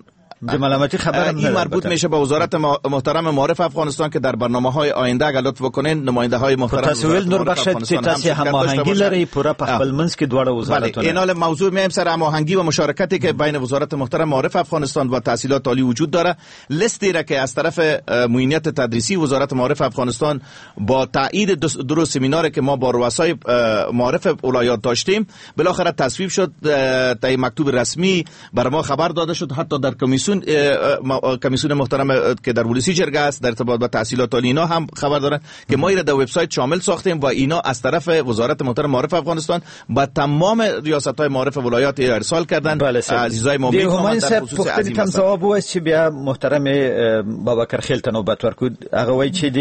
د ملامتی خبر این مربوط میشه به وزارت محترم معارف افغانستان که در برنامه های آینده اگر لطف بکنین نماینده های محترم تاسو نور بخش چې تاسو هماهنګي لرئ پوره په خپل منځ کې دواړه وزارتونه. بله، اینال موضوع میم سر هماهنگی و مشارکتی که بین وزارت محترم معارف افغانستان و تحصیلات عالی وجود داره. لیستی را که از طرف معینیت تدریسی وزارت معارف افغانستان با تایید دو سمینار که ما با رؤسای معارف ولایات داشتیم بالاخره تصویب شد. تا مکتوب رسمی بر ما خبر داده شد، حتی در کمیسیون محترم که در ولسی جرگه است در ارتباط با تحصیلات عالی اینا هم خبر دارن که ما اینا در وبسایت شامل ساختیم و اینا از طرف وزارت محترم معارف افغانستان با تمام ریاست های معارف ولایات ارسال کردن. عزیزای ما میخوام در خصوص عزیز تم ځواب وایي چې بیا محترم بابکر خیل ته نوبت ورکړو. هغه وایي چې د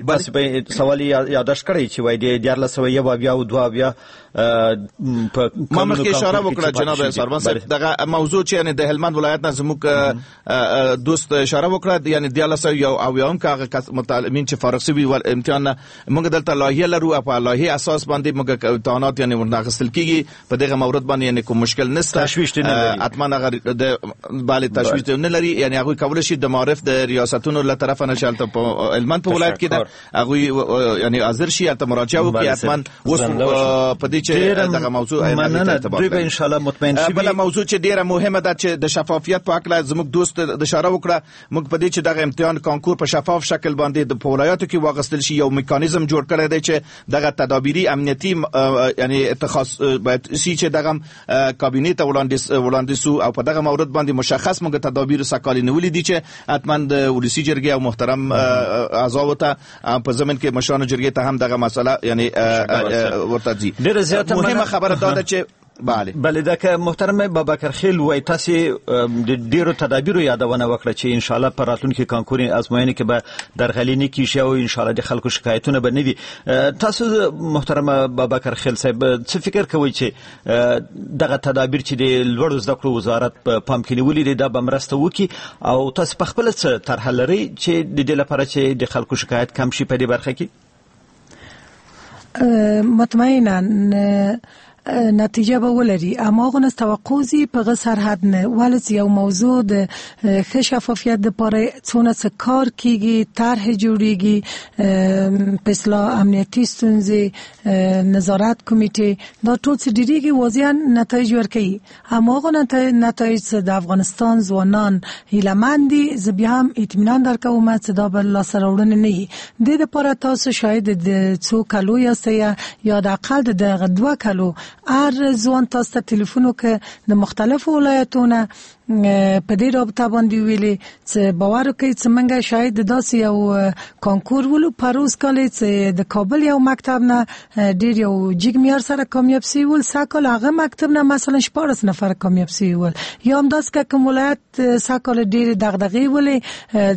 تاسو به سوال یادداشت کړی چې وایي د 1402 بیا په ما مخکې اشاره وکړه جناب سربان صاحب، دغه موضوع چې یعنی د هلمند ولایت نه زموږ دوست اشاره وکړه، یعنی 1401 که هغه متعلمین چې فارغ شوي ول امتحان موږ دلته لایحه لرو، په لایحه اساس باندې موږ امتحانات یعنی ورنه اخیستل کیږي. په دغه مورد باندې یعنی کوم مشکل نشته، تشویش نه لري، حتما هغه د باندې تشویش نه لري. یعنی هغه کول شي د معارف د ریاستونو له طرفه نه شالته په هلمند په ولایت کې ده هغه یعنی حاضر شي ته مراجعه وکړي حتما. اوس په دې چې دغه موضوع دوی به ان شاء الله مطمئن شي. بل موضوع چې ډیره مهمه ده چې د شفافیت په اړه زموږ دوست د اشاره وکړه، موږ په دې چې دغه امتحان کانکور په شفاف شکل باندې د ولایاتو کې واغستل شي یو میکانیزم جوړ کړی دی چې دغه تدابیری امنیتي یعنی اتخاذ باید شي چې دغه کابینه ته وړاندې سو او په دغه مورد باندې مشخص موږ تدابیر سکالي نیولې دي چې حتما د ولسی جرګې او محترم اعضاو ته په ضمن کې مشرانو جرګې ته هم دغه مسله یعنی ورته ځي. مهمه خبره دا ده چې بله بله، دا که محترم بابکر خیل وای تاسو د ډیرو تدابیرو یادونه وکړه چې ان شاء الله په راتلونکي کانکوري ازموینې کې به درغلي نه کیږي او ان شاء الله د خلکو شکایتونه به نه وي. تاسو محترم بابکر خیل صاحب څه فکر کوئ چې دغه تدابیر چې د لوړو زده کړو وزارت په پام کې نیولي دي دا به مرسته وکړي، او تاسو په خپله څه طرحه لرئ چې د دې لپاره چې د خلکو شکایت کم شي په دې برخه کې؟ مطمئنا نتیجه به ولري، اما هغه توقع زی په غ سرحد نه ولې چې یو موضوع د ښه شفافیت لپاره څونه څه کار کیږي، طرح جوړیږي، په اصلاح امنیتي ستونزې، نظارت کمیټه، دا ټول څه ډیریږي، واضح نتایج ورکوي. اما هغه نتایج چې د افغانستان ځوانان هیله مند دي، زه بیا هم اطمینان درکوم چې دا به لاسته راوړنه نه وي. د دې لپاره تاسو شاید د څو کلو یاست یا د اقل د دغه 2 کلو هر ځوان تاسو ته تلیفون وکړ د مختلفو ولایتونو په دې رابطه باندې ویلي چې باور وکړئ چې موږ شاید داسې یو کانکور ولو پروز کال چې د کابل یو مکتب نه ډیر یو جګ معیار سره کامیاب سوي ول، سږ کال هغه مکتب نه مثلا 14 نفر کامیاب سوي ول، یا هم داسې که کوم ولایت سږ کال ډېرې دغدغې ولې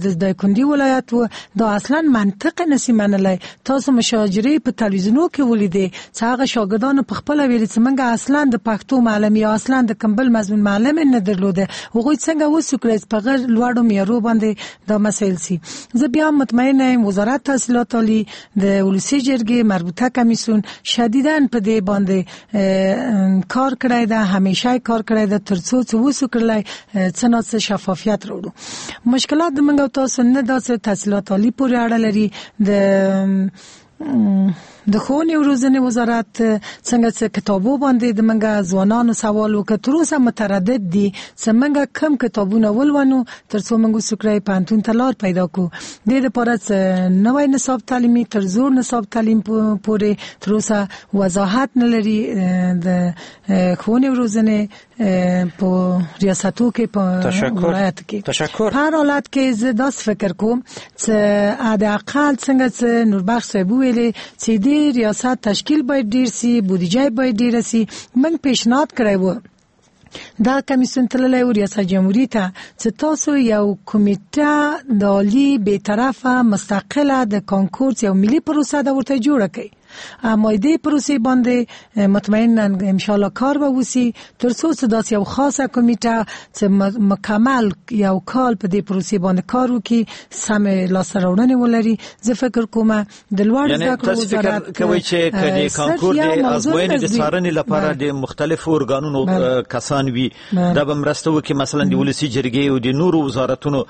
د دایکندي ولایت و، دا اصلا منطق نسی منلی. تاسو مشاجرې په تلویزیونو کې ولیدې چې هغه شاګردانو په خپله ویلي چې موږ اصلا د پښتو معلم یا اصلا د کوم بل مضمون معلم نه درلوده، هغوی څنګه وسو کړی چې په غیر لوړو معیارو باندې دا مسایل سي. زه بیا مطمئن یم وزارت تحصیلات عالي، د ولسي جرګې مربوطه کمیسیون شدیداً په دې باندې کار کړی ده، همیشه کار کړی ده ترڅو چې وسو کړلی څه نا څه شفافیت راوړو. مشکلات د موږ او تاسو نه داسې تحصیلات عالي پورې اړه لري، د ښوونې او روزنې وزارت څنګه چې کتابو باندې د موږ ځوانانو سوال وکړ، تر اوسه متردد دي چې موږ کم کتابونه ولولو ترڅو موږ وسو کړای پوهنتون ته لار پیدا کړو. د دې لپاره چې نوی نصاب تعلیمي تر زوړ نصاب تعلیم پورې تر اوسه وضاحت نه لري د ښوونې او روزنې په ریاستو کې په ولایت کې. تشکر. په هر حالت کې زه داسې فکر کوم چې حداقل څنګه چې نوربخش صاحب ویلې چې د ریاست تشکیل باید ډیر سي، بودیجه باید ډیره سي. موږ پیشنهاد کړی و دا کمیسیون تللی و ریاست جمهوری ته چې تاسو یو کمیټه د عالي بیطرفه مستقله د کانکور یو ملي پروسه ده ورته جوړه کړئ. اما دې پروسې باندې مطمئنا ان شاء الله کار به وسی تر څو چې داسې یو خاصه کمیټه چې مکمل یو کال په دې پروسې باندې کار وکړي، سم لاسته راوړنې ولري. زه فکر کوم د لوړو زده کړو وزارت کوي چې د کانکور د ازموینې د څارنې لپاره د مختلفو ارګانونو کسان وي، دا به مرسته وکړي. مثلا د ولسي جرګې او د نورو وزارتونو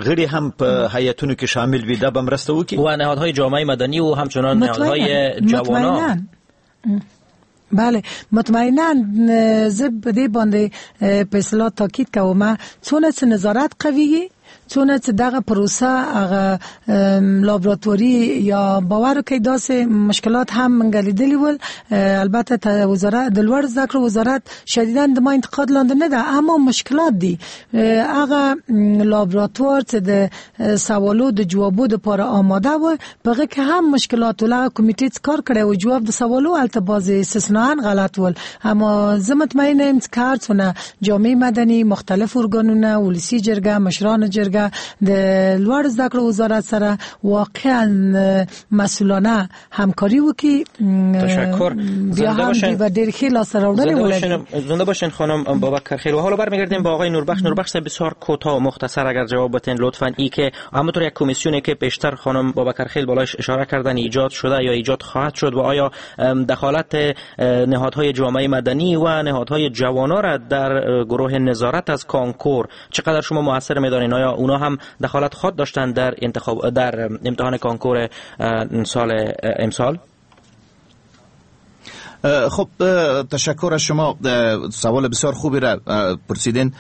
غړي هم په هیئتونو کې شامل وي، دا به مرسته وکړي. و نهادهای جامعه مدنی و همچنان نهادهای جوانان. بله مطمئنا زه په دې باندې په اصطلاح تاکید کوم، څونه چې نظارت قوي، څونه چې دغه پروسه هغه لابراتواری یا باور کوي داسې مشکلات هم موږ لیدلي ول. البته وزارت د لوړو زده کړو وزارت شدیداً د ما انتقاد لاندې نه ده، اما مشکلات دي. هغه لابراتوار چې د سوالو د جوابو لپاره آماده و، په هغه کې هم مشکلات ول. هغه کمیټې چې کار کړی و جواب د سوالو هلته بعضې استثناء غلط ول. اما زه مطمئن یم چې که هر څونه جامعه مدني، مختلف ارګانونه، ولسي جرګه، مشرانو جرګه د لوړو زده کړو وزارت سره واقعا مسئولانه همکاري وکړي. تشکر. بیا هم به ډېر ښې لاسته راوړنې ولري. زنده باشین خانم بابکر خیل. و حالا برمیگردیم با آقای نوربخش. نوربخش بسیار کوتاه و مختصر اگر جواب بتین لطفاً. ای که همونطور یک کمیسیونی که پیشتر خانم بابکر خیل بالایش اشاره کردن ایجاد شده یا ایجاد خواهد شد و آیا دخالت نهادهای جامعه مدنی و نهادهای جوانان را در گروه نظارت از کانکور چقدر شما موثر می‌دانین؟ آیا اونا هم دخالت خود داشتن در انتخاب در امتحان کانکور سال امسال؟ خب تشکر از شما، سوال بسیار خوبی را پرسیدین.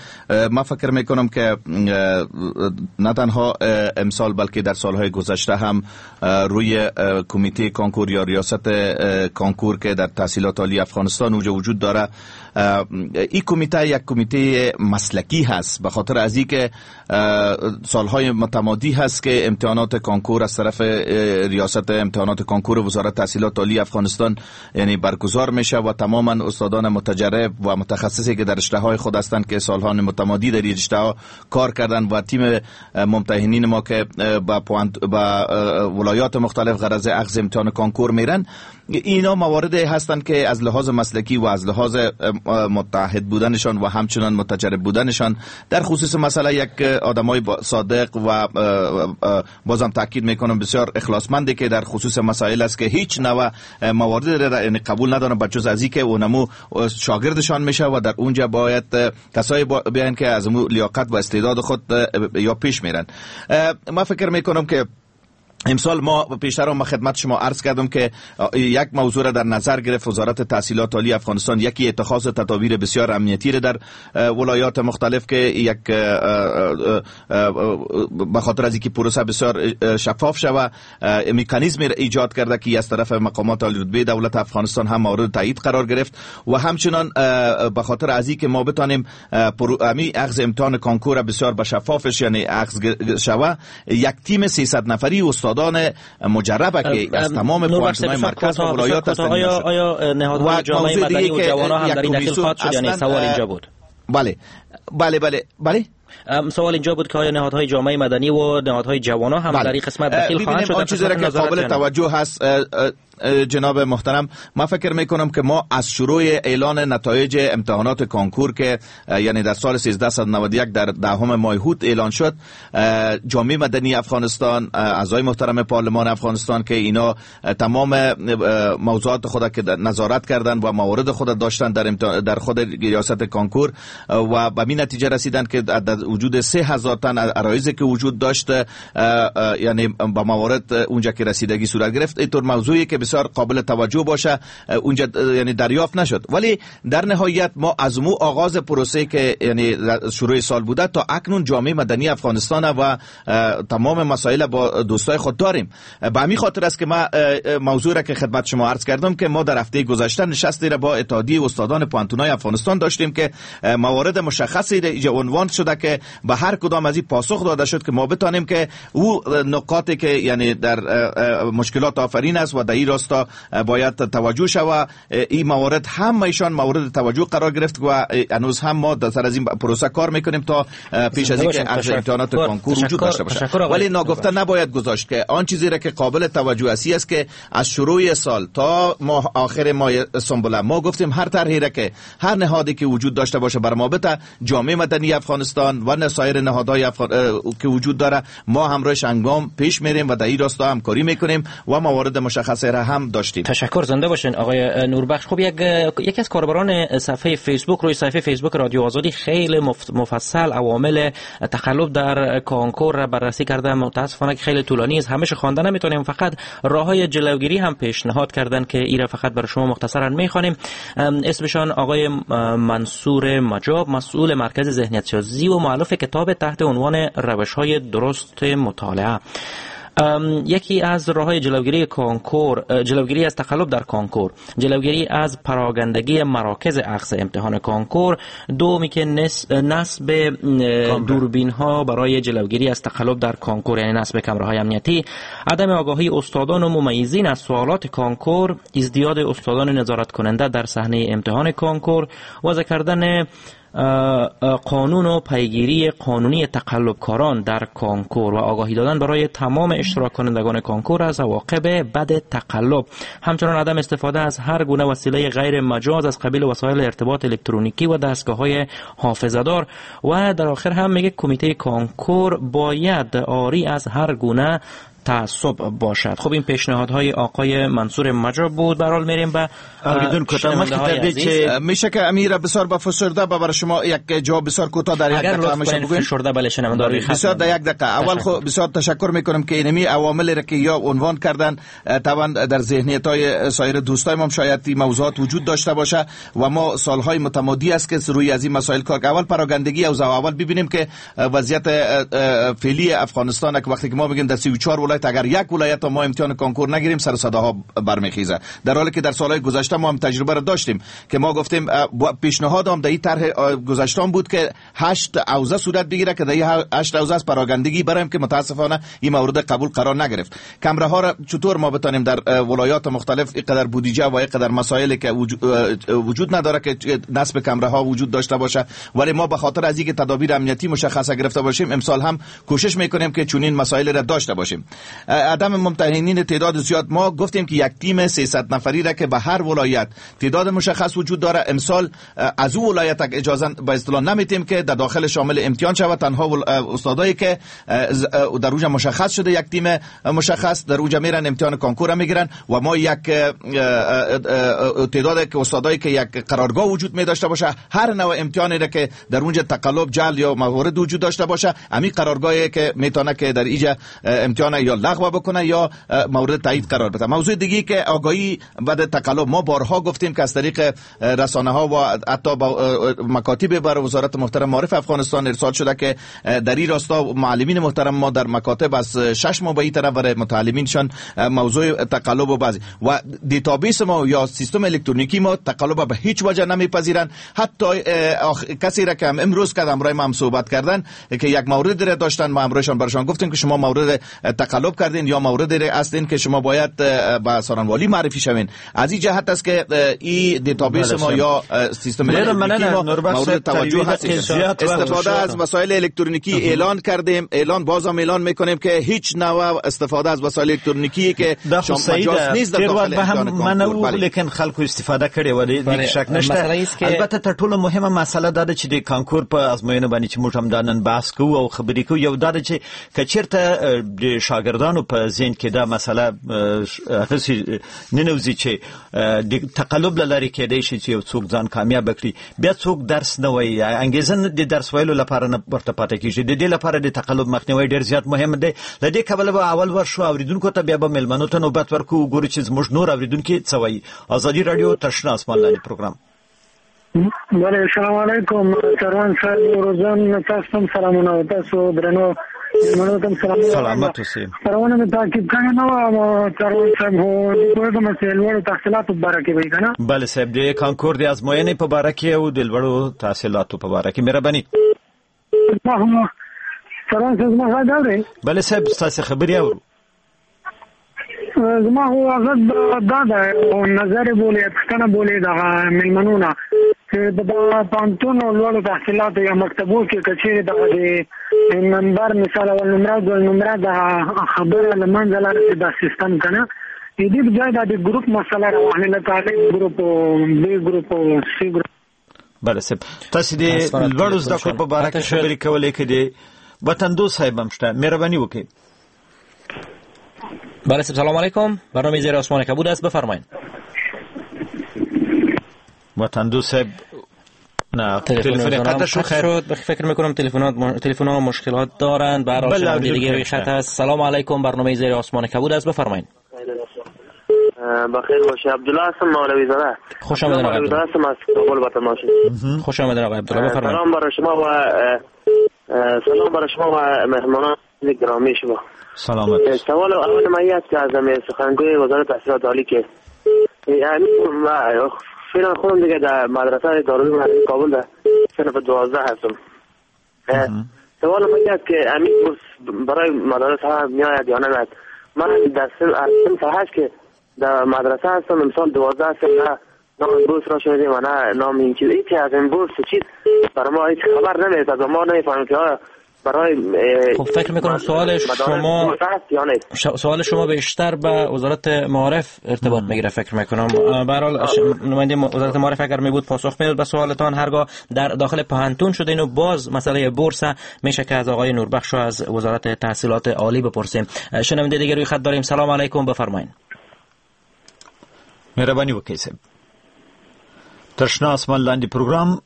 من فکر میکنم که نه تنها امسال بلکه در سالهای گذشته هم روی کمیته کانکور یا ریاست کانکور که در تحصیلات عالی افغانستان وجود داره، این کمیته یک کمیته مسلکی هست، به خاطر از اینکه سالهای متمادی هست که امتحانات کانکور از طرف ریاست امتحانات کانکور وزارت تحصیلات عالی افغانستان یعنی برگزار میشه و تماما استادان متجرب و متخصصی که در رشته های خود هستند که سالها متمادی در این رشته ها کار کردن و تیم ممتحنین ما که با ولایات مختلف غرض اخذ امتحان کانکور میرن، اینا موارد هستند که از لحاظ مسلکی و از لحاظ متحد بودنشان و همچنان متجرب بودنشان در خصوص مسئله یک آدمای صادق و بازم تاکید میکنم بسیار اخلاصمندی که در خصوص مسائل است که هیچ نوع موارد را یعنی قبول ندارن بجز از اینکه اونمو شاگردشان میشه و در اونجا باید کسایی بیان که از مو لیاقت و استعداد خود یا پیش میرن. ما فکر میکنم که امسال ما پیشتر ما خدمت شما عرض کردم که یک موضوع را در نظر گرفت وزارت تحصیلات عالی افغانستان، یکی اتخاذ تدابیر بسیار امنیتی را در ولایات مختلف که یک به خاطر از اینکه پروسه بسیار شفاف شوه مکانیزم را ایجاد کرده که از طرف مقامات عالی رتبه دولت افغانستان هم مورد تایید قرار گرفت و همچنان به خاطر از اینکه ما بتانیم امی اخذ امتحان کانکور بسیار به شفافش یعنی اخذ شوه، یک تیم 300 نفری استاد مجربه که از تمام پوانتون‌های مرکز و ولایات هستند. آیا نهادهای جامعه مدنی و جوانان هم در این دخیل خواهد شد؟ یعنی سوال اینجا بود. بله بله بله بله، سوال اینجا بود که آیا نهادهای جامعه مدنی و نهادهای جوانان هم در این قسمت دخیل خواهند شد؟ آن چیزی که قابل توجه هست جناب محترم، ما فکر میکنم که ما از شروع اعلان نتایج امتحانات کانکور که یعنی در سال 1391 در دهم ماه اوت اعلان شد، جامعه مدنی افغانستان، اعضای محترم پارلمان افغانستان که اینا تمام موضوعات خود که نظارت کردن و موارد خود داشتن در خود ریاست کانکور و به این نتیجه رسیدن که در وجود 3000 تن عرایض که وجود داشت یعنی با موارد اونجا که رسیدگی صورت گرفت، اینطور موضوعی که بسیار قابل توجه باشه اونجا یعنی دریافت نشد. ولی در نهایت ما از مو آغاز پروسه که یعنی شروع سال بوده تا اکنون جامعه مدنی افغانستان و تمام مسائل با دوستای خود داریم. به همین خاطر است که ما موضوع را که خدمت شما عرض کردم که ما در هفته گذشته نشستی را با اتحادیه استادان پوهنتون‌های افغانستان داشتیم که موارد مشخصی را عنوان شده که که به هر کدام از این پاسخ داده شد که ما بتانیم که او نقاطی که یعنی در مشکلات آفرین است و در این راستا باید توجه شود، این موارد همه ایشان مورد توجه قرار گرفت و هنوز هم ما در سر از این پروسه کار میکنیم تا پیش از اینکه عرض امتحانات کنکور وجود داشته باشه. ولی ناگفته نباید گذاشت که آن چیزی را که قابل توجه است که از شروع سال تا ماه آخر ماه سنبله ما گفتیم هر طرحی را که هر نهادی که وجود داشته باشه بر ما بته، جامعه مدنی افغانستان و سایر نهادهای که وجود داره ما همراهش انگام پیش میریم و در این راستا همکاری میکنیم و موارد مشخصه را هم داشتیم. تشکر، زنده باشین آقای نوربخش. خب یکی از کاربران صفحه فیسبوک روی صفحه فیسبوک رادیو آزادی خیلی مفصل عوامل تقلب در کنکور را بررسی کرده. متاسفانه که خیلی طولانی است، همیشه خوانده نمیتونیم، فقط راه‌های جلوگیری هم پیشنهاد کردن که ایرا فقط برای شما مختصرا میخوانیم. اسمشان آقای منصور مجاب، مسئول مرکز ذهنیت سازی و مؤلف کتاب تحت عنوان روش‌های درست مطالعه. یکی از راه‌های جلوگیری کنکور، جلوگیری از تقلب در کنکور، جلوگیری از پراگندگی مراکز اخذ امتحان کنکور، دومی که نصب دوربین ها برای جلوگیری از تقلب در کنکور، یعنی نصب کمره‌های امنیتی، عدم آگاهی استادان و ممیزین از سوالات کنکور، ازدیاد استادان نظارت کننده در صحنه امتحان کنکور، وضع کردن قانون و پیگیری قانونی تقلبکاران در کنکور و آگاهی دادن برای تمام اشتراک کنندگان کنکور از عواقب بد تقلب، همچنان عدم استفاده از هر گونه وسیله غیر مجاز از قبیل وسایل ارتباط الکترونیکی و دستگاه‌های حافظه‌دار. و در آخر هم میگه کمیته کنکور باید عاری از هر گونه تعصب باشد. خب این پیشنهادهای آقای منصور مجاب بود. برحال میریم به شنونده‌های عزیز. میشه که امیر بسیار با فسرده برای شما یک جواب بسیار کوتاه در یک دقیقه میشه بگوین؟ فشرده بله شنونده روی خط بسیار در یک دقیقه. اول خب بسیار تشکر میکنم که اینمی عوامل را که یا عنوان کردن طبعا در ذهنیت‌های سایر دوستای ما شاید این موضوعات وجود داشته باشه و ما سالهای متمادی است که روی از این مسائل کار. اول پراگندگی اوضاع، اول ببینیم که وضعیت فعلی افغانستان که وقتی که ما میگیم در 34 ولایت اگر یک ولایت ما امتحان کنکور نگیریم سر صداها برمیخیزه، در حالی که در سالهای گذشته ما هم تجربه را داشتیم که ما گفتیم پیشنهاد هم در این طرح گذشته بود که 8 حوزه صورت بگیره که در این 8 حوزه از پراگندگی برایم که متاسفانه این مورد قبول قرار نگرفت. کمره ها را چطور ما بتانیم در ولایات مختلف اینقدر بودجه و اینقدر مسائل که وجود نداره که نصب کمره ها وجود داشته باشه، ولی ما به خاطر از اینکه تدابیر امنیتی مشخصه گرفته باشیم امسال هم کوشش میکنیم که چنین مسائل را داشته باشیم. عدم ممتحنین تعداد زیاد، ما گفتیم که یک تیم 300 نفری را که به هر ولایت تعداد مشخص وجود داره امسال از او ولایت اجازه به اصطلاح نمیتیم که در داخل شامل امتحان شود، تنها استادایی که در اونجا مشخص شده یک تیم مشخص در اونجا میرن امتحان کنکور میگیرن و ما یک تعداد که استادایی که یک قرارگاه وجود می داشته باشه هر نوع امتحانی را که در اونجا تقلب جعل یا موارد وجود داشته باشه همین قرارگاهی که میتونه که در اینجا امتحان یا لغو بکنه یا مورد تایید قرار بده. موضوع دیگه که آگاهی بعد تقلب، ما بارها گفتیم که از طریق رسانه ها و حتی مکاتب بر وزارت محترم معارف افغانستان ارسال شده که در این راستا معلمین محترم ما در مکاتب از 6 ماه به این طرف برای متعلمینشان موضوع تقلب و بعضی و database ما یا سیستم الکترونیکی ما تقلب به هیچ وجه نمیپذیرن. حتی کسی را که امروز که همراه ما هم صحبت کردن که یک مورد را داشتن، ما همراهشان برشان گفتیم که شما مورد تقلب کردین یا مورد را هستین که شما باید به سارنوالی معرفی شوین. از این جهت است که این database ما یا سیستم الکترونیکی ما مورد توجه هست. استفاده از وسایل الکترونیکی اعلان کردیم، اعلان بازم اعلان میکنیم که هیچ نوع استفاده از وسایل الکترونیکی که مجاز نیست در داخل امتحان کنکور، لیکن خلکو استفاده کړې و دې شک نشته. البته تر ټولو مهمه مسله دا ده چې د کانکور په ازموینه باندې چې موږ هم دا نن بحث کوو او خبرې کوو، یو دا ده چې که چېرته د شاګردانو په ذهن کې دا مسله هغسې ننوځي چې د تقلب له لارې کېدای شي چې یو څوک ځان کامیاب کړي، بیا څوک درس نه وایي، انګېزه د درس ویلو لپاره نه ورته پاتې کېږي. د دې لپاره د تقلب مخنیوی ډېر زیات مهم دی. له دې کبله به اول ورشو اورېدونکو ته، بیا به مېلمنو ته نوبت ورکړو، وګورو چې زموږ نور اورېدونکي څه وایي. ازادي راډیو تر شنه اسمان لاندې پروګرام. بله، السلام علیکم سروان صاحب، روزان تاسو هم سلامونه، تاسو درنو مېلمنو ته هم سلامونه. سلامت اوسئ. خپرونه مې تعقیب کړې نه وه سروان صاحب، خو پوهېږم چې لوړو تحصیلاتو په باره کې به وي که نه؟ بله صاحب، د کانکور د ازموینې په باره کې او د لوړو تحصیلاتو په باره کې. مهرباني. سلام زما غږ اورئ؟ بله صاحب، ستاسو خبرې اورو. زما خو غږ دا ده، نظر بولې، پوښتنه بولې دغه مېلمنو نه چې په پوهنتون او لوړو تحصیلاتو یا مکتبو کې که چېرې دغه د نمبر مثال اول نمره دویم نمره دغه خبره له منځه لاړه شي، دا سیستم که نه، د دې په ځای دا د ګروپ مسله راواخلي، لکه الف ګروپ او ب ګروپ او سی ګروپ. بله صاحب، تاسو د لوړو زده کړو په باره کې خبرې کولې، که د وطندوست صاحب هم شته، مهرباني وکړئ. بله صاحب، سلام علیکم، برنامه زیر آسمان کبود است، بفرمایید. وطندوست صاحب نه، تلفن قطع شد. فکر میکنم تلفن ها مشکلات دارند. به هر حال دیگه روی خط هست. سلام علیکم، برنامه زیر آسمان کبود است، بفرمایید. بخیر باشه، عبدالله هستم، مولوی زاده. خوش آمدید آقای عبدالله. هستم از کابل با تماس. خوش آمدید آقای عبدالله، بفرمایید. سلام برای شما و سلام برای شما و مهمانان گرامی شما. سلامت. سوال اول من است که از سخنگوی وزارت تحصیلات عالی که یعنی فعلا خودم دیگه در مدرسه دارالعلوم کابل در صنف 12 هستم. سوال من است که همین بورس برای مدارس ها میآید یا نمیآید؟ من در صنف 8 که در مدرسه هستم، امسال 12 هستم، نه نام بورس را شنیدیم و نه نام این چیز، هیچ از این بورس چیز برای ما هیچ خبر نمیرسد و ما نمیفهمیم که برای خب فکر میکنم سوال شما سوال شما بیشتر به وزارت معارف ارتباط میگیره فکر میکنم. به هر حال نماینده وزارت معارف اگر می بود پاسخ میداد به سوالتان. هرگاه در داخل پوهنتون شده اینو باز مسئله بورس میشه که از آقای نوربخش و از وزارت تحصیلات عالی بپرسیم. شنونده دیگه روی خط داریم. سلام علیکم، بفرمایید. مهرباني وکړئ. تر شنه آسمان لاندې پروګرام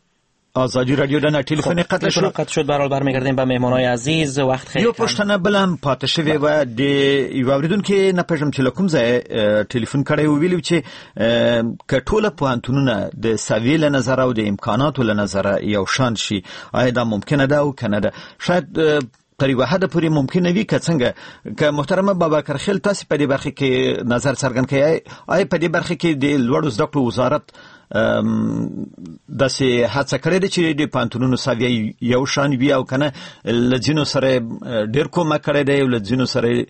ازادي رادیو د ټلیفون قطع شو. قطع شد. برحال برمیگردیم به مهمانای عزیز. وقت خیلی یو پوښتنه بل هم پاتې شوې وه د یو اورېدونکي، نه پوهېږم چې له کوم ځایه ټلیفون کړی و، ویلي چې که ټوله پوهنتونونه د سویې له نظره او د امکاناتو له نظره یو شان شي، آیا دا ممکنه ده او که نه ده؟ شاید تر یوه حده پورې ممکنه وي که څنګه؟ که محترمه بابکر خیل تاسې په دې برخې کې نظر څرګند کړئ، آیا په دې برخې کې د لوړو زده کړو وزارت داسې هڅه کړې ده چې د پوهنتونونو سویه یو شان وي او که نه له ځینو سره ډېر کومک کړی دی او له ځینو سره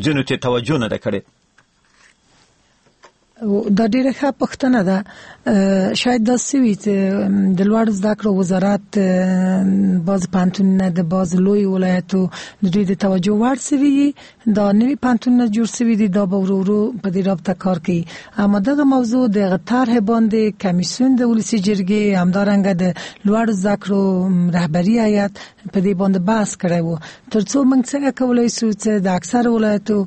ځینو ته توجه نه ده کړې؟ دا ډیره ښه پوښتنه ده. شاید داسې وي چې د لوړو زده کړو وزارت بعض پوهنتونونه د بعض لوی ولایتو د دوی د توجه وړ سوي، دا نوي پوهنتونونه جوړ سوي دي، دا به ورو ورو په دې رابطه کار کوي. اما دغه موضوع د هغه طرح باندې کمیسیون د ولسي جرګې همدارنګه د لوړو زده کړو رهبري هیئت په دې باندې بحث کړی وو، ترڅو موږ څنګه کولای شو چې د اکثر ولایتو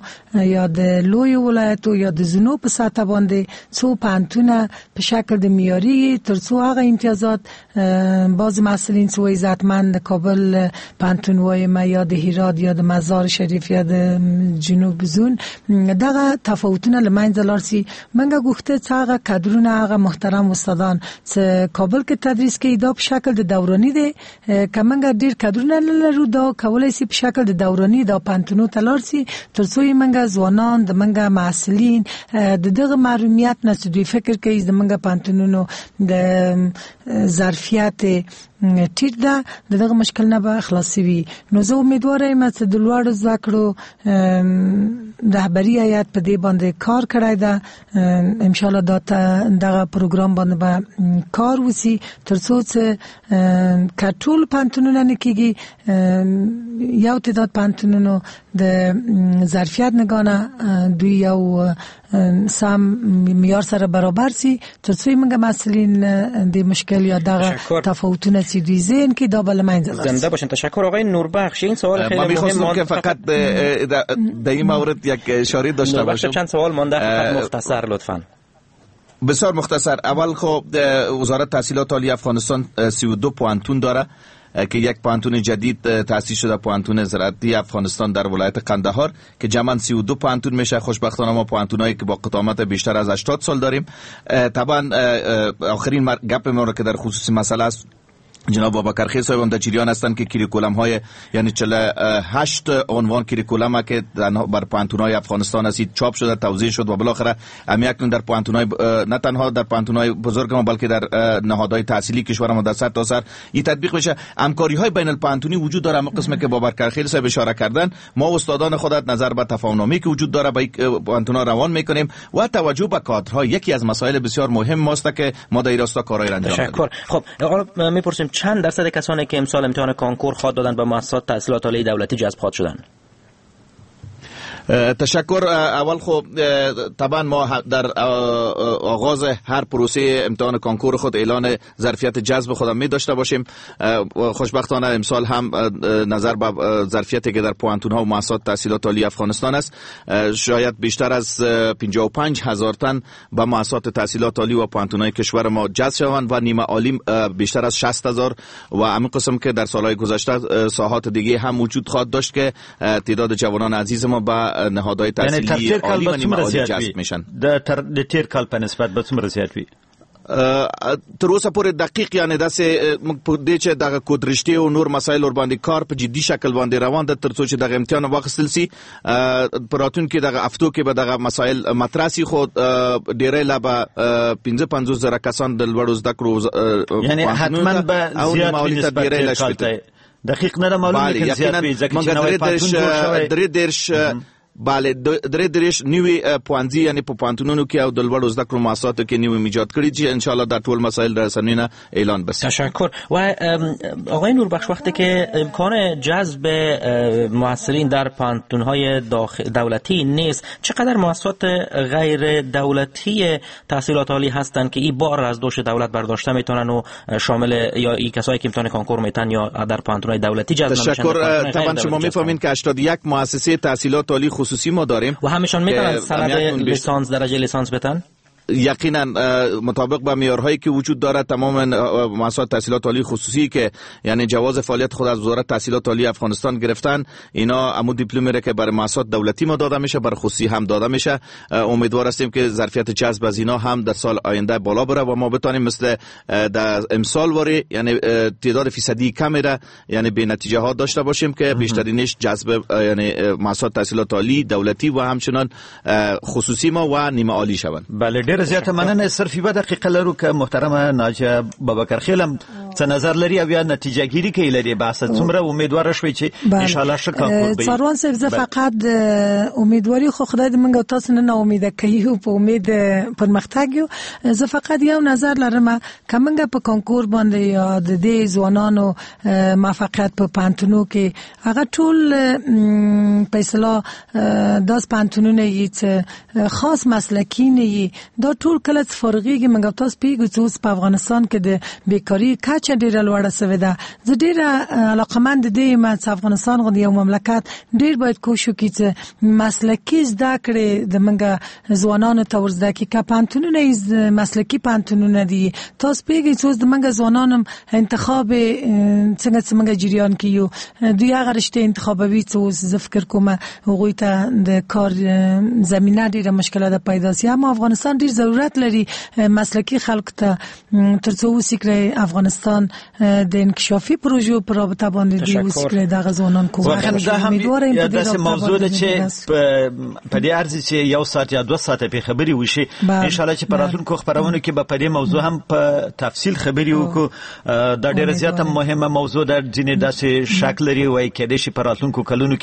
یا د لویو ولایتو یا د زونو په سطح باندې څو پوهنتونه په شکل د معیاري، ترڅو هغه امتیازات بعض محصلین څو عزتمند کابل پوهنتون وایم یا د هرات یا د مزار شریف یا د جنوب زون دغه تفاوتونه له منځه لاړ سي. موږ غوښته چې هغه کادرونه، هغه محترم استادان چې کابل کې تدریس کوي، دا په شکل د دوراني دی، که موږ ډیر کادرونه نه لرو دا کولای سي په شکل د دوراني دا پوهنتونو ته لاړ سي، ترڅو یې موږ ځوانان د موږ محصلین د دغه محرومیت نه چې دوی فکر کوي د موږ پوهنتونونو د ظرفیت ټیټ ده، د دغه مشکل نه به خلاص وي. نو زه امیدوار یم چې د لوړو زده کړو رهبري هیئت په دې باندې کار کړی ده، ان شاء الله دا دغه پروګرام باندې به کار وسی، ترڅو چې که ټول پوهنتونونه نه کیږي یو تعداد پوهنتونونو د ظرفیت نګانه دوی یو سم معیار سره برابر سي، ترڅو موږ محصلین د مشکل یا دغه تفاوتونه چې دوی ذهن کې دا به له منځه لاړ. زنده باشین. تشکر آقای نوربخش. این سوال خیلی مهم که فقط در این مورد یک اشاره داشته باشم. چند سوال مانده، فقط مختصر لطفاً. بسیار مختصر. اول خب وزارت تحصیلات عالی افغانستان 32 پوهنتون داره که یک پوهنتون جدید تأسیس شده، پوهنتون زراعتی افغانستان در ولایت قندهار که جمعاً 32 پوهنتون میشه. خوشبختانه ما پوهنتونایی که با قدامت بیشتر از 80 سال داریم. طبعا آخرین گپ ما رو که در خصوص مسئله است جناب بابکرخیل صاحب هم در جریان هستند که کریکولم های یعنی 48 عنوان کریکولم که بر پوهنتون‌های افغانستان هستید چاپ شده، توزیع شد و بالاخره هم اکنون در پوهنتون‌های نه تنها در پوهنتون‌های بزرگ ما بلکه در نهادهای تحصیلی کشور ما در سر تا سر این تطبیق بشه. همکاری‌های بین الپوهنتونی وجود داره. اما قسمی که بابکرخیل صاحب اشاره کردن، ما استادان خودت نظر به تفاهم‌نامه‌ای که وجود داره به پوهنتون‌ها روان می‌کنیم و توجه به کادرها یکی از مسائل بسیار مهم ماست که ما در راستا کارهای را انجام می‌دهیم. تشکر. خب حالا می‌پرسیم چند درصد کسانی که امسال امتحان کانکور خواد دادن به مؤسسات تحصیلات عالی دولتی جذب خواد شدن؟ تشکر. اول خب طبعا ما در آغاز هر پروسه امتحان کانکور خود اعلان ظرفیت جذب خودم می داشته باشیم. خوشبختانه امسال هم نظر به ظرفیتی که در پوهنتون ها و مؤسسات تحصیلات عالی افغانستان است، شاید بیشتر از 55,000 تن به مؤسسات تحصیلات عالی و پوهنتون های کشور ما جذب شوند و نیمه عالی بیشتر از 60,000 و همین قسم که در سالهای گذشته ساحات دیگه هم وجود خواهد داشت که تعداد جوانان عزیز ما به نهادهای تحصیلی عالی و نیمه عالی جذب میشن. د تیر کال په نسبت به څومره زیات وي؟ تر اوسه پورې دقیق یعنی داسې موږ په دې چې دغه کود رشتې او نور مسایل ور باندې کار په جدي شکل باندې روان ده ترڅو چې دغه امتحان واخیستل سي. په راتلونکي دغه هفتو کې به دغه مسایل مطرح سي، خو ډېری لا به 55,000 کسان د لوړو زده کړو یعنی حتما به زیات وي. دقیق نه معلوم لیکن زیات وي، ځکه چې نوی پوهنتون جوړ شوی. 33 بله 33 نوي پوهنځي یعنی په پوهنتونونو کې او د لوړو زده کړو مؤسساتو کې نوي ایجاد کړي چې ان شاء الله دا ټول مسائل رسنۍ نه اعلان بشه. تشکر. و آقای نوربخش، وقتی که امکان جذب محصلین در پوهنتون‌های دولتی نیست، چقدر مؤسسات غیر دولتی تحصیلات عالی هستند که این بار از دوش دولت برداشته میتونن و شامل یا این کسایی که امتحان کنکور میتن یا در پوهنتون‌های دولتی جذب نمیشن؟ تشکر. طبعا شما میفهمین که 81 مؤسسه تحصیلات عالی خصوصی ما داریم و همشان میتونن سند لیسانس درجه لیسانس بتن؟ یقینا مطابق با معیارهایی که وجود دارد تمام مؤسسات تحصیلات عالی خصوصی که یعنی جواز فعالیت خود از وزارت تحصیلات عالی افغانستان گرفتن، اینا امو دیپلمی را که برای مؤسسات دولتی ما داده میشه برای خصوصی هم داده میشه. امیدوار هستیم که ظرفیت جذب از اینا هم در سال آینده بالا بره و ما بتانیم مثل در امسال واری یعنی تعداد فیصدی کمی را یعنی به نتیجه ها داشته باشیم که بیشترینش جذب یعنی مؤسسات تحصیلات عالی دولتی و همچنان خصوصی ما و نیمه عالی شوند. بله، ډیره زیاته مننه. صرف یوه دقیقه لرو که محترمه ناجیه بابکرخیل هم څه نظر لري او یا نتیجه ګیري کوي لري بحث څومره امیدوار شوي چې ان شاء الله ښه کانکور به څاروان صاحب، زه فقط امیدواري خو خدای دې موږ تاسو نه امیده کوي او په امید پرمختګ یو. زه فقط یو نظر لرم که موږ په کانکور باندې یا د دې ځوانانو موفقیت په پوهنتونو کې هغه ټول په اصطلاح داس پوهنتونونه یې چې خاص مسلکي نه یي، دا ټول کله چې فارغېږي موږ تاسو پوهېږو چې اوس په افغانستان کې د بیکاري کچه ډېره لوړه سوې ده. زه ډېره علاقمند دې یم چې افغانستان غوندې یو مملکت ډېر باید کوښښ وکړي چې مسلکي زده کړې د موږ ځوانانو ته ور زده کړي. که پوهنتونونه یې مسلکي پوهنتونونه دي، تاسو پوهېږئ چې اوس د موږ ځوانانو انتخاب څنګه چې موږ جریان کې یو، دوی هغه رشتې انتخابوي چې اوس زه فکر کوم هغوی ته د کار زمینه ډېره مشکله ده پیدا سي. اما افغانستان ډېر ضرورت لري مسلکي خلک ته ترڅو وسي کړی افغانستان د انکشافي پروژو پر رابطه باندې دی وسي کړی دغه ځوانان کوم. واقعا دا هم داسې موضوع ده چې په دې ارزي چې یو ساعت یا 2 ساعته په خبرې وشي. ان شاء الله چې په راتلونکو خپرونو کې به په دې موضوع هم په تفصیل خبرې وکړو. دا ډېره زیاته مهمه موضوع ده. ځینې داسې شک لري وایي کېدای شي په راتلونکو کلونو